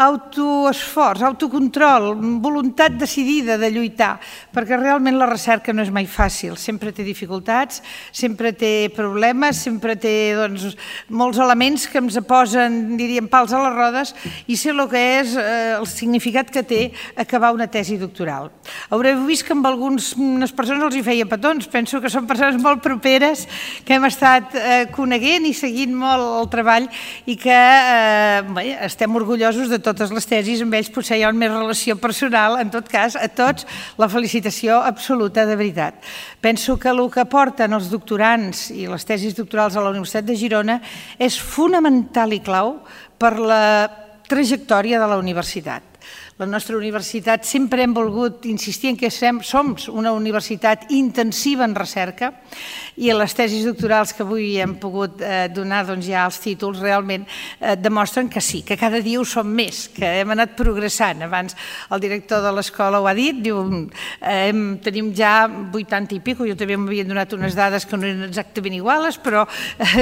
autoesforç, autocontrol, voluntat decidida de lluitar, perquè realment la recerca no és mai fàcil, sempre té dificultats, sempre té problemes, sempre té doncs, molts elements que ens posen, diríem, pals a les rodes i sé el que és eh, el significat que té acabar una tesi doctoral. Haureu vist que amb algunes persones els hi feia petons, penso que són persones molt properes, que hem estat eh, coneguent i seguint molt el treball i que eh, bé, estem orgullosos de totes les tesis, amb ells potser hi ha més relació personal, en tot cas, a tots, la felicitació absoluta de veritat. Penso que el que aporten els doctorants i les tesis doctorals a la Universitat de Girona és fonamental i clau per la trajectòria de la universitat. La nostra universitat sempre hem volgut insistir en que som una universitat intensiva en recerca i les tesis doctorals que avui hem pogut donar ja els títols realment demostren que sí, que cada dia ho som més, que hem anat progressant. Abans el director de l'escola ho ha dit, diu, tenim ja vuitanta i pico, jo també m'havien donat unes dades que no eren exactament iguales, però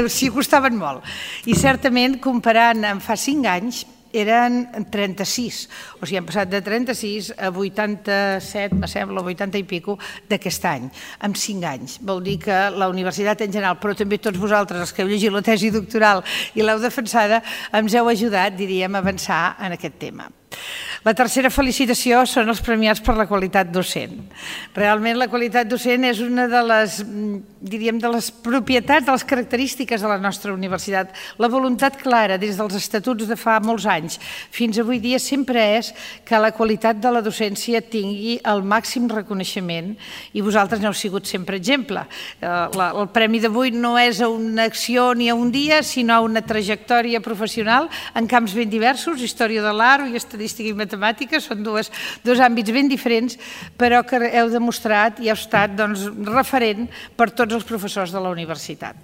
sí costaven molt. I certament, comparant amb fa cinc anys, eren trenta-sis, o sigui, hem passat de trenta-sis a vuitanta-set, me sembla, vuitanta i pico d'aquest any, en cinc anys. Vol dir que la universitat en general, però també tots vosaltres, els que heu llegit la tesi doctoral i l'heu defensada, ens heu ajudat, diríem, a avançar en aquest tema. La tercera felicitació són els premiats per la qualitat docent. Realment la qualitat docent és una de les, diríem, de les propietats, de les característiques de la nostra universitat. La voluntat clara des dels estatuts de fa molts anys fins avui dia sempre és que la qualitat de la docència tingui el màxim reconeixement i vosaltres n'heu sigut sempre exemple. El premi d'avui no és a una acció ni a un dia, sinó a una trajectòria professional en camps ben diversos, història de l'art i estadística i matemàtica, són dos àmbits ben diferents, però que heu demostrat i heu estat referent per tots els professors de la universitat.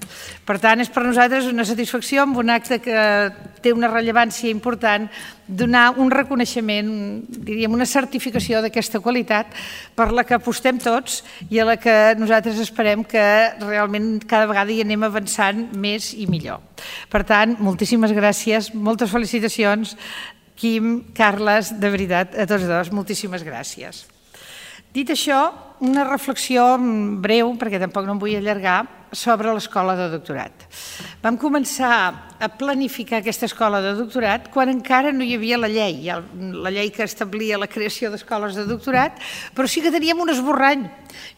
Per tant, és per nosaltres una satisfacció amb un acte que té una rellevància important donar un reconeixement, diríem, una certificació d'aquesta qualitat per la que apostem tots i a la que nosaltres esperem que realment cada vegada hi anem avançant més i millor. Per tant, moltíssimes gràcies, moltes felicitacions, Quim, Carles, de veritat, a tots dos, moltíssimes gràcies. Dit això, una reflexió breu, perquè tampoc no em vull allargar, sobre l'escola de doctorat. Vam començar a planificar aquesta escola de doctorat quan encara no hi havia la llei, la llei que establia la creació d'escoles de doctorat, però sí que teníem un esborrany.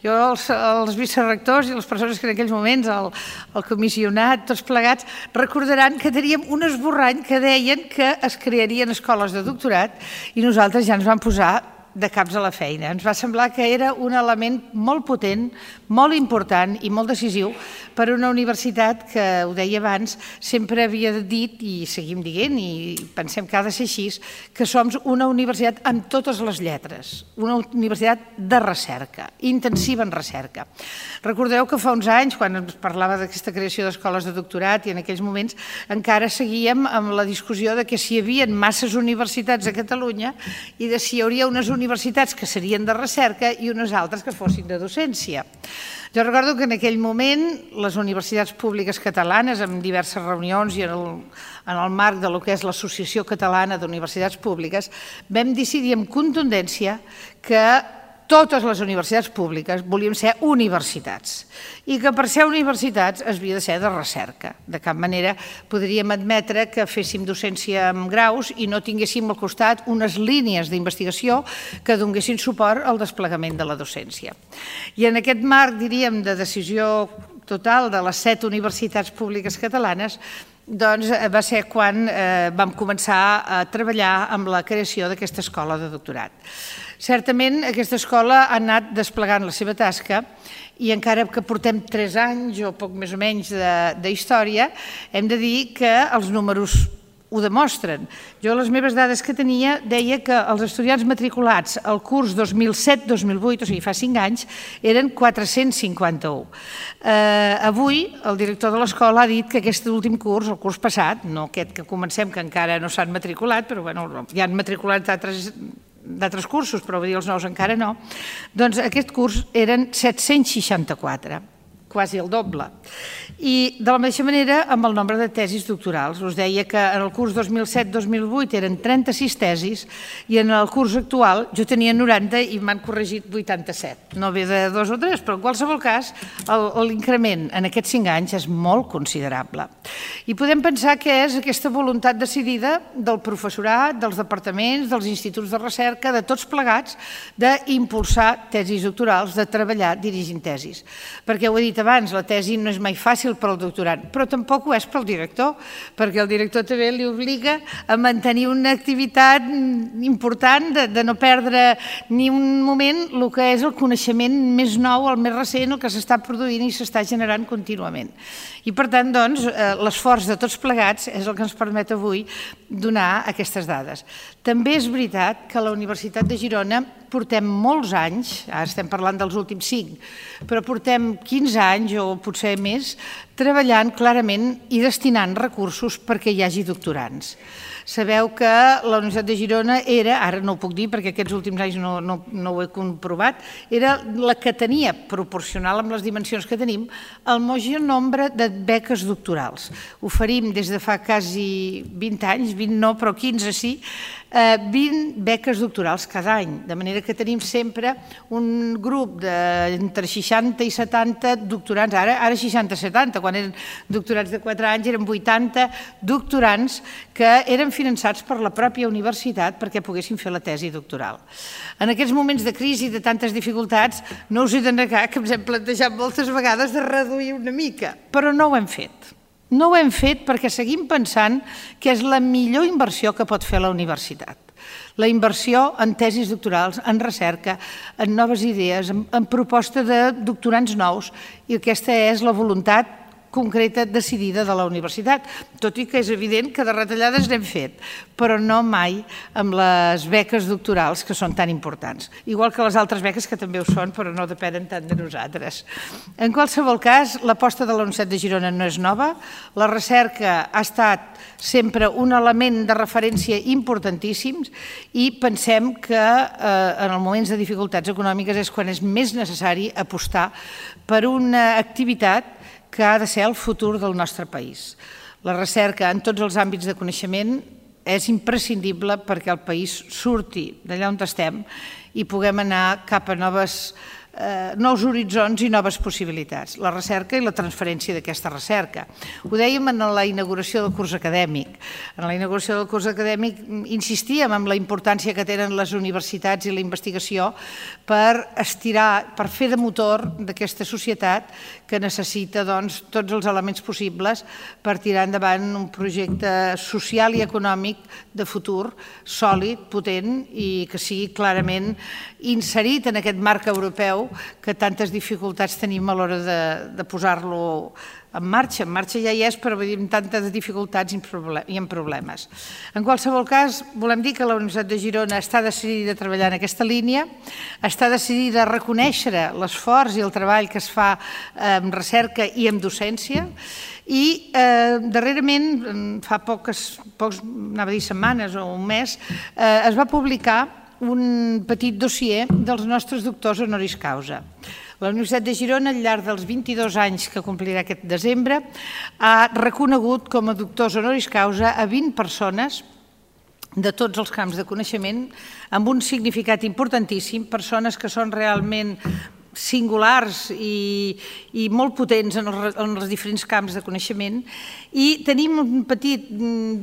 Jo, els vicerectors i les persones que en aquells moments, el comissionat, tots plegats, recordaran que teníem un esborrany que deien que es crearien escoles de doctorat i nosaltres ja ens vam posar de caps a la feina. Ens va semblar que era un element molt potent, molt important i molt decisiu per a una universitat que, ho deia abans, sempre havia dit, i seguim dient, i pensem que ha de ser així, que som una universitat amb totes les lletres, una universitat de recerca, intensiva en recerca. Recordeu que fa uns anys, quan ens parlava d'aquesta creació d'escoles de doctorat, i en aquells moments encara seguíem amb la discussió de que si hi havia masses universitats a Catalunya i de si hi hauria unes universitats que serien de recerca i unes altres que fossin de docència. Jo recordo que en aquell moment les universitats públiques catalanes, en diverses reunions i en el, en el marc de lo que és l'Associació Catalana d'Universitats Públiques, vam decidir amb contundència que totes les universitats públiques volíem ser universitats i que per ser universitats es havia de ser de recerca. De cap manera podríem admetre que féssim docència amb graus i no tinguéssim al costat unes línies d'investigació que donessin suport al desplegament de la docència. I en aquest marc, diríem, de decisió total de les set universitats públiques catalanes, doncs va ser quan vam començar a treballar amb la creació d'aquesta escola de doctorat. Certament, aquesta escola ha anat desplegant la seva tasca i encara que portem tres anys o poc més o menys d'història, hem de dir que els números ho demostren. Jo, les meves dades que tenia, deia que els estudiants matriculats al curs dos mil set dos mil vuit, o sigui, fa cinc anys, eren quatre-cents cinquanta-u. Avui, el director de l'escola ha dit que aquest últim curs, el curs passat, no aquest que comencem, que encara no s'han matriculat, però bueno, ja han matriculat d'altres d'altres cursos, però vull dir els nous encara no, doncs aquest curs eren set-cents seixanta-quatre, quasi el doble. I de la mateixa manera amb el nombre de tesis doctorals. Us deia que en el curs dos mil set dos mil vuit eren trenta-sis tesis i en el curs actual jo tenia noranta i m'han corregit vuitanta-set. No ve de dos o tres, però en qualsevol cas l'increment en aquests cinc anys és molt considerable. I podem pensar que és aquesta voluntat decidida del professorat, dels departaments, dels instituts de recerca, de tots plegats, d'impulsar tesis doctorals, de treballar dirigint tesis. Perquè ho he dit abans, la tesi no és mai fàcil per al doctorant, però tampoc ho és pel director, perquè el director també li obliga a mantenir una activitat important, de no perdre ni un moment el que és el coneixement més nou, el més recent, el que s'està produint i s'està generant contínuament. I per tant, doncs, l'esforç de tots plegats és el que ens permet avui donar aquestes dades. També és veritat que a la Universitat de Girona portem molts anys, ara estem parlant dels últims cinc, però portem quinze anys o potser més, treballant clarament i destinant recursos perquè hi hagi doctorants. Sabeu que la Universitat de Girona era, ara no ho puc dir perquè aquests últims anys no, no, no ho he comprovat, era la que tenia, proporcional amb les dimensions que tenim, el major nombre de beques doctorals. Oferim des de fa quasi vint anys, vint no, però quinze sí, vint beques doctorals cada any, de manera que tenim sempre un grup d'entre seixanta i setanta doctorants, ara seixanta setanta, quan eren doctorats de quatre anys eren vuitanta doctorants que eren finançats per la pròpia universitat perquè poguessin fer la tesi doctoral. En aquests moments de crisi i de tantes dificultats no us he de negar que ens hem plantejat moltes vegades de reduir una mica, però no ho hem fet. No ho hem fet perquè seguim pensant que és la millor inversió que pot fer la universitat. La inversió en tesis doctorals, en recerca, en noves idees, en proposta de doctorants nous, i aquesta és la voluntat concreta, decidida de la universitat, tot i que és evident que de retallades n'hem fet, però no mai amb les beques doctorals que són tan importants. Igual que les altres beques que també ho són, però no depenen tant de nosaltres. En qualsevol cas, l'aposta de la Universitat de Girona no és nova, la recerca ha estat sempre un element de referència importantíssim i pensem que en els moments de dificultats econòmiques és quan és més necessari apostar per una activitat que ha de ser el futur del nostre país. La recerca en tots els àmbits de coneixement és imprescindible perquè el país surti d'allà on estem i puguem anar cap a noves nous horitzons i noves possibilitats, la recerca i la transferència d'aquesta recerca. Ho dèiem en la inauguració del curs acadèmic. En la inauguració del curs acadèmic insistíem en la importància que tenen les universitats i la investigació per estirar, per fer de motor d'aquesta societat que necessita tots els elements possibles per tirar endavant un projecte social i econòmic de futur sòlid, potent i que sigui clarament inserit en aquest marc europeu que tantes dificultats tenim a l'hora de posar-lo en marxa. En marxa ja hi és, però amb tantes dificultats i amb problemes. En qualsevol cas, volem dir que la Universitat de Girona està decidida a treballar en aquesta línia, està decidida a reconèixer l'esforç i el treball que es fa en recerca i en docència, i darrerament, fa poques, anava a dir setmanes o un mes, es va publicar un petit dossier dels nostres doctors honoris causa. La Universitat de Girona, al llarg dels vint-i-dos anys que complirà aquest desembre, ha reconegut com a doctors honoris causa a vint persones de tots els camps de coneixement amb un significat importantíssim, persones que són realment singulars i molt potents en els diferents camps de coneixement, i tenim un petit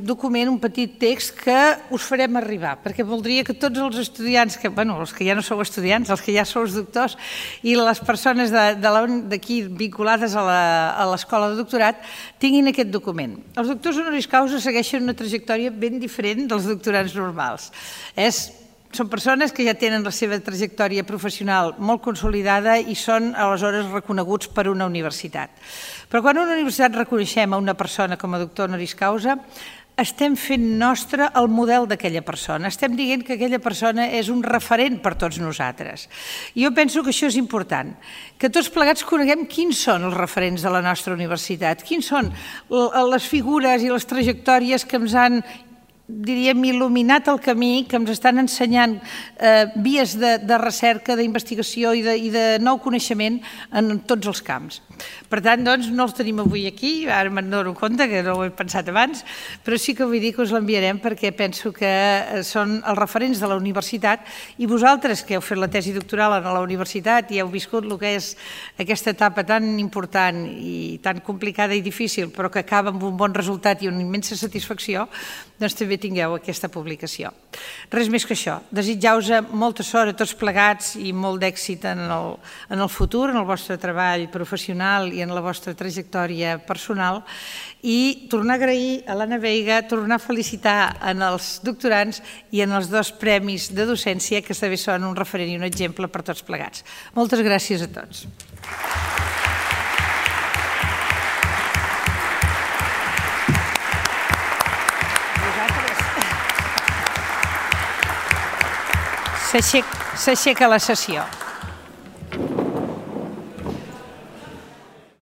document, un petit text que us farem arribar, perquè voldria que tots els estudiants, bueno, els que ja no sou estudiants, els que ja sou doctors, i les persones d'aquí vinculades a l'escola de doctorat tinguin aquest document. Els doctors honoris causa segueixen una trajectòria ben diferent dels doctorants normals. És Són persones que ja tenen la seva trajectòria professional molt consolidada i són aleshores reconeguts per una universitat. Però quan una universitat reconeixem a una persona com a doctor honoris causa, estem fent nostre el model d'aquella persona. Estem dient que aquella persona és un referent per tots nosaltres. Jo penso que això és important, que tots plegats coneguem quins són els referents de la nostra universitat, quins són les figures i les trajectòries que ens han, diríem, il·luminat el camí, que ens estan ensenyant vies de recerca, d'investigació i de nou coneixement en tots els camps. Per tant, doncs, no els tenim avui aquí, ara me'n dono compte que no ho he pensat abans, però sí que vull dir que us l'enviarem perquè penso que són els referents de la universitat i vosaltres que heu fet la tesi doctoral a la universitat i heu viscut el que és aquesta etapa tan important i tan complicada i difícil, però que acaba amb un bon resultat i una immensa satisfacció, doncs també tingueu aquesta publicació. Res més que això. Desitjar-vos molta sort a tots plegats i molt d'èxit en el futur, en el vostre treball professional i en la vostra trajectòria personal, i tornar a agrair a l'Anna Veiga, tornar a felicitar en els doctorants i en els dos premis de docència que també són un referent i un exemple per tots plegats. Moltes gràcies a tots. S'aixeca la sessió.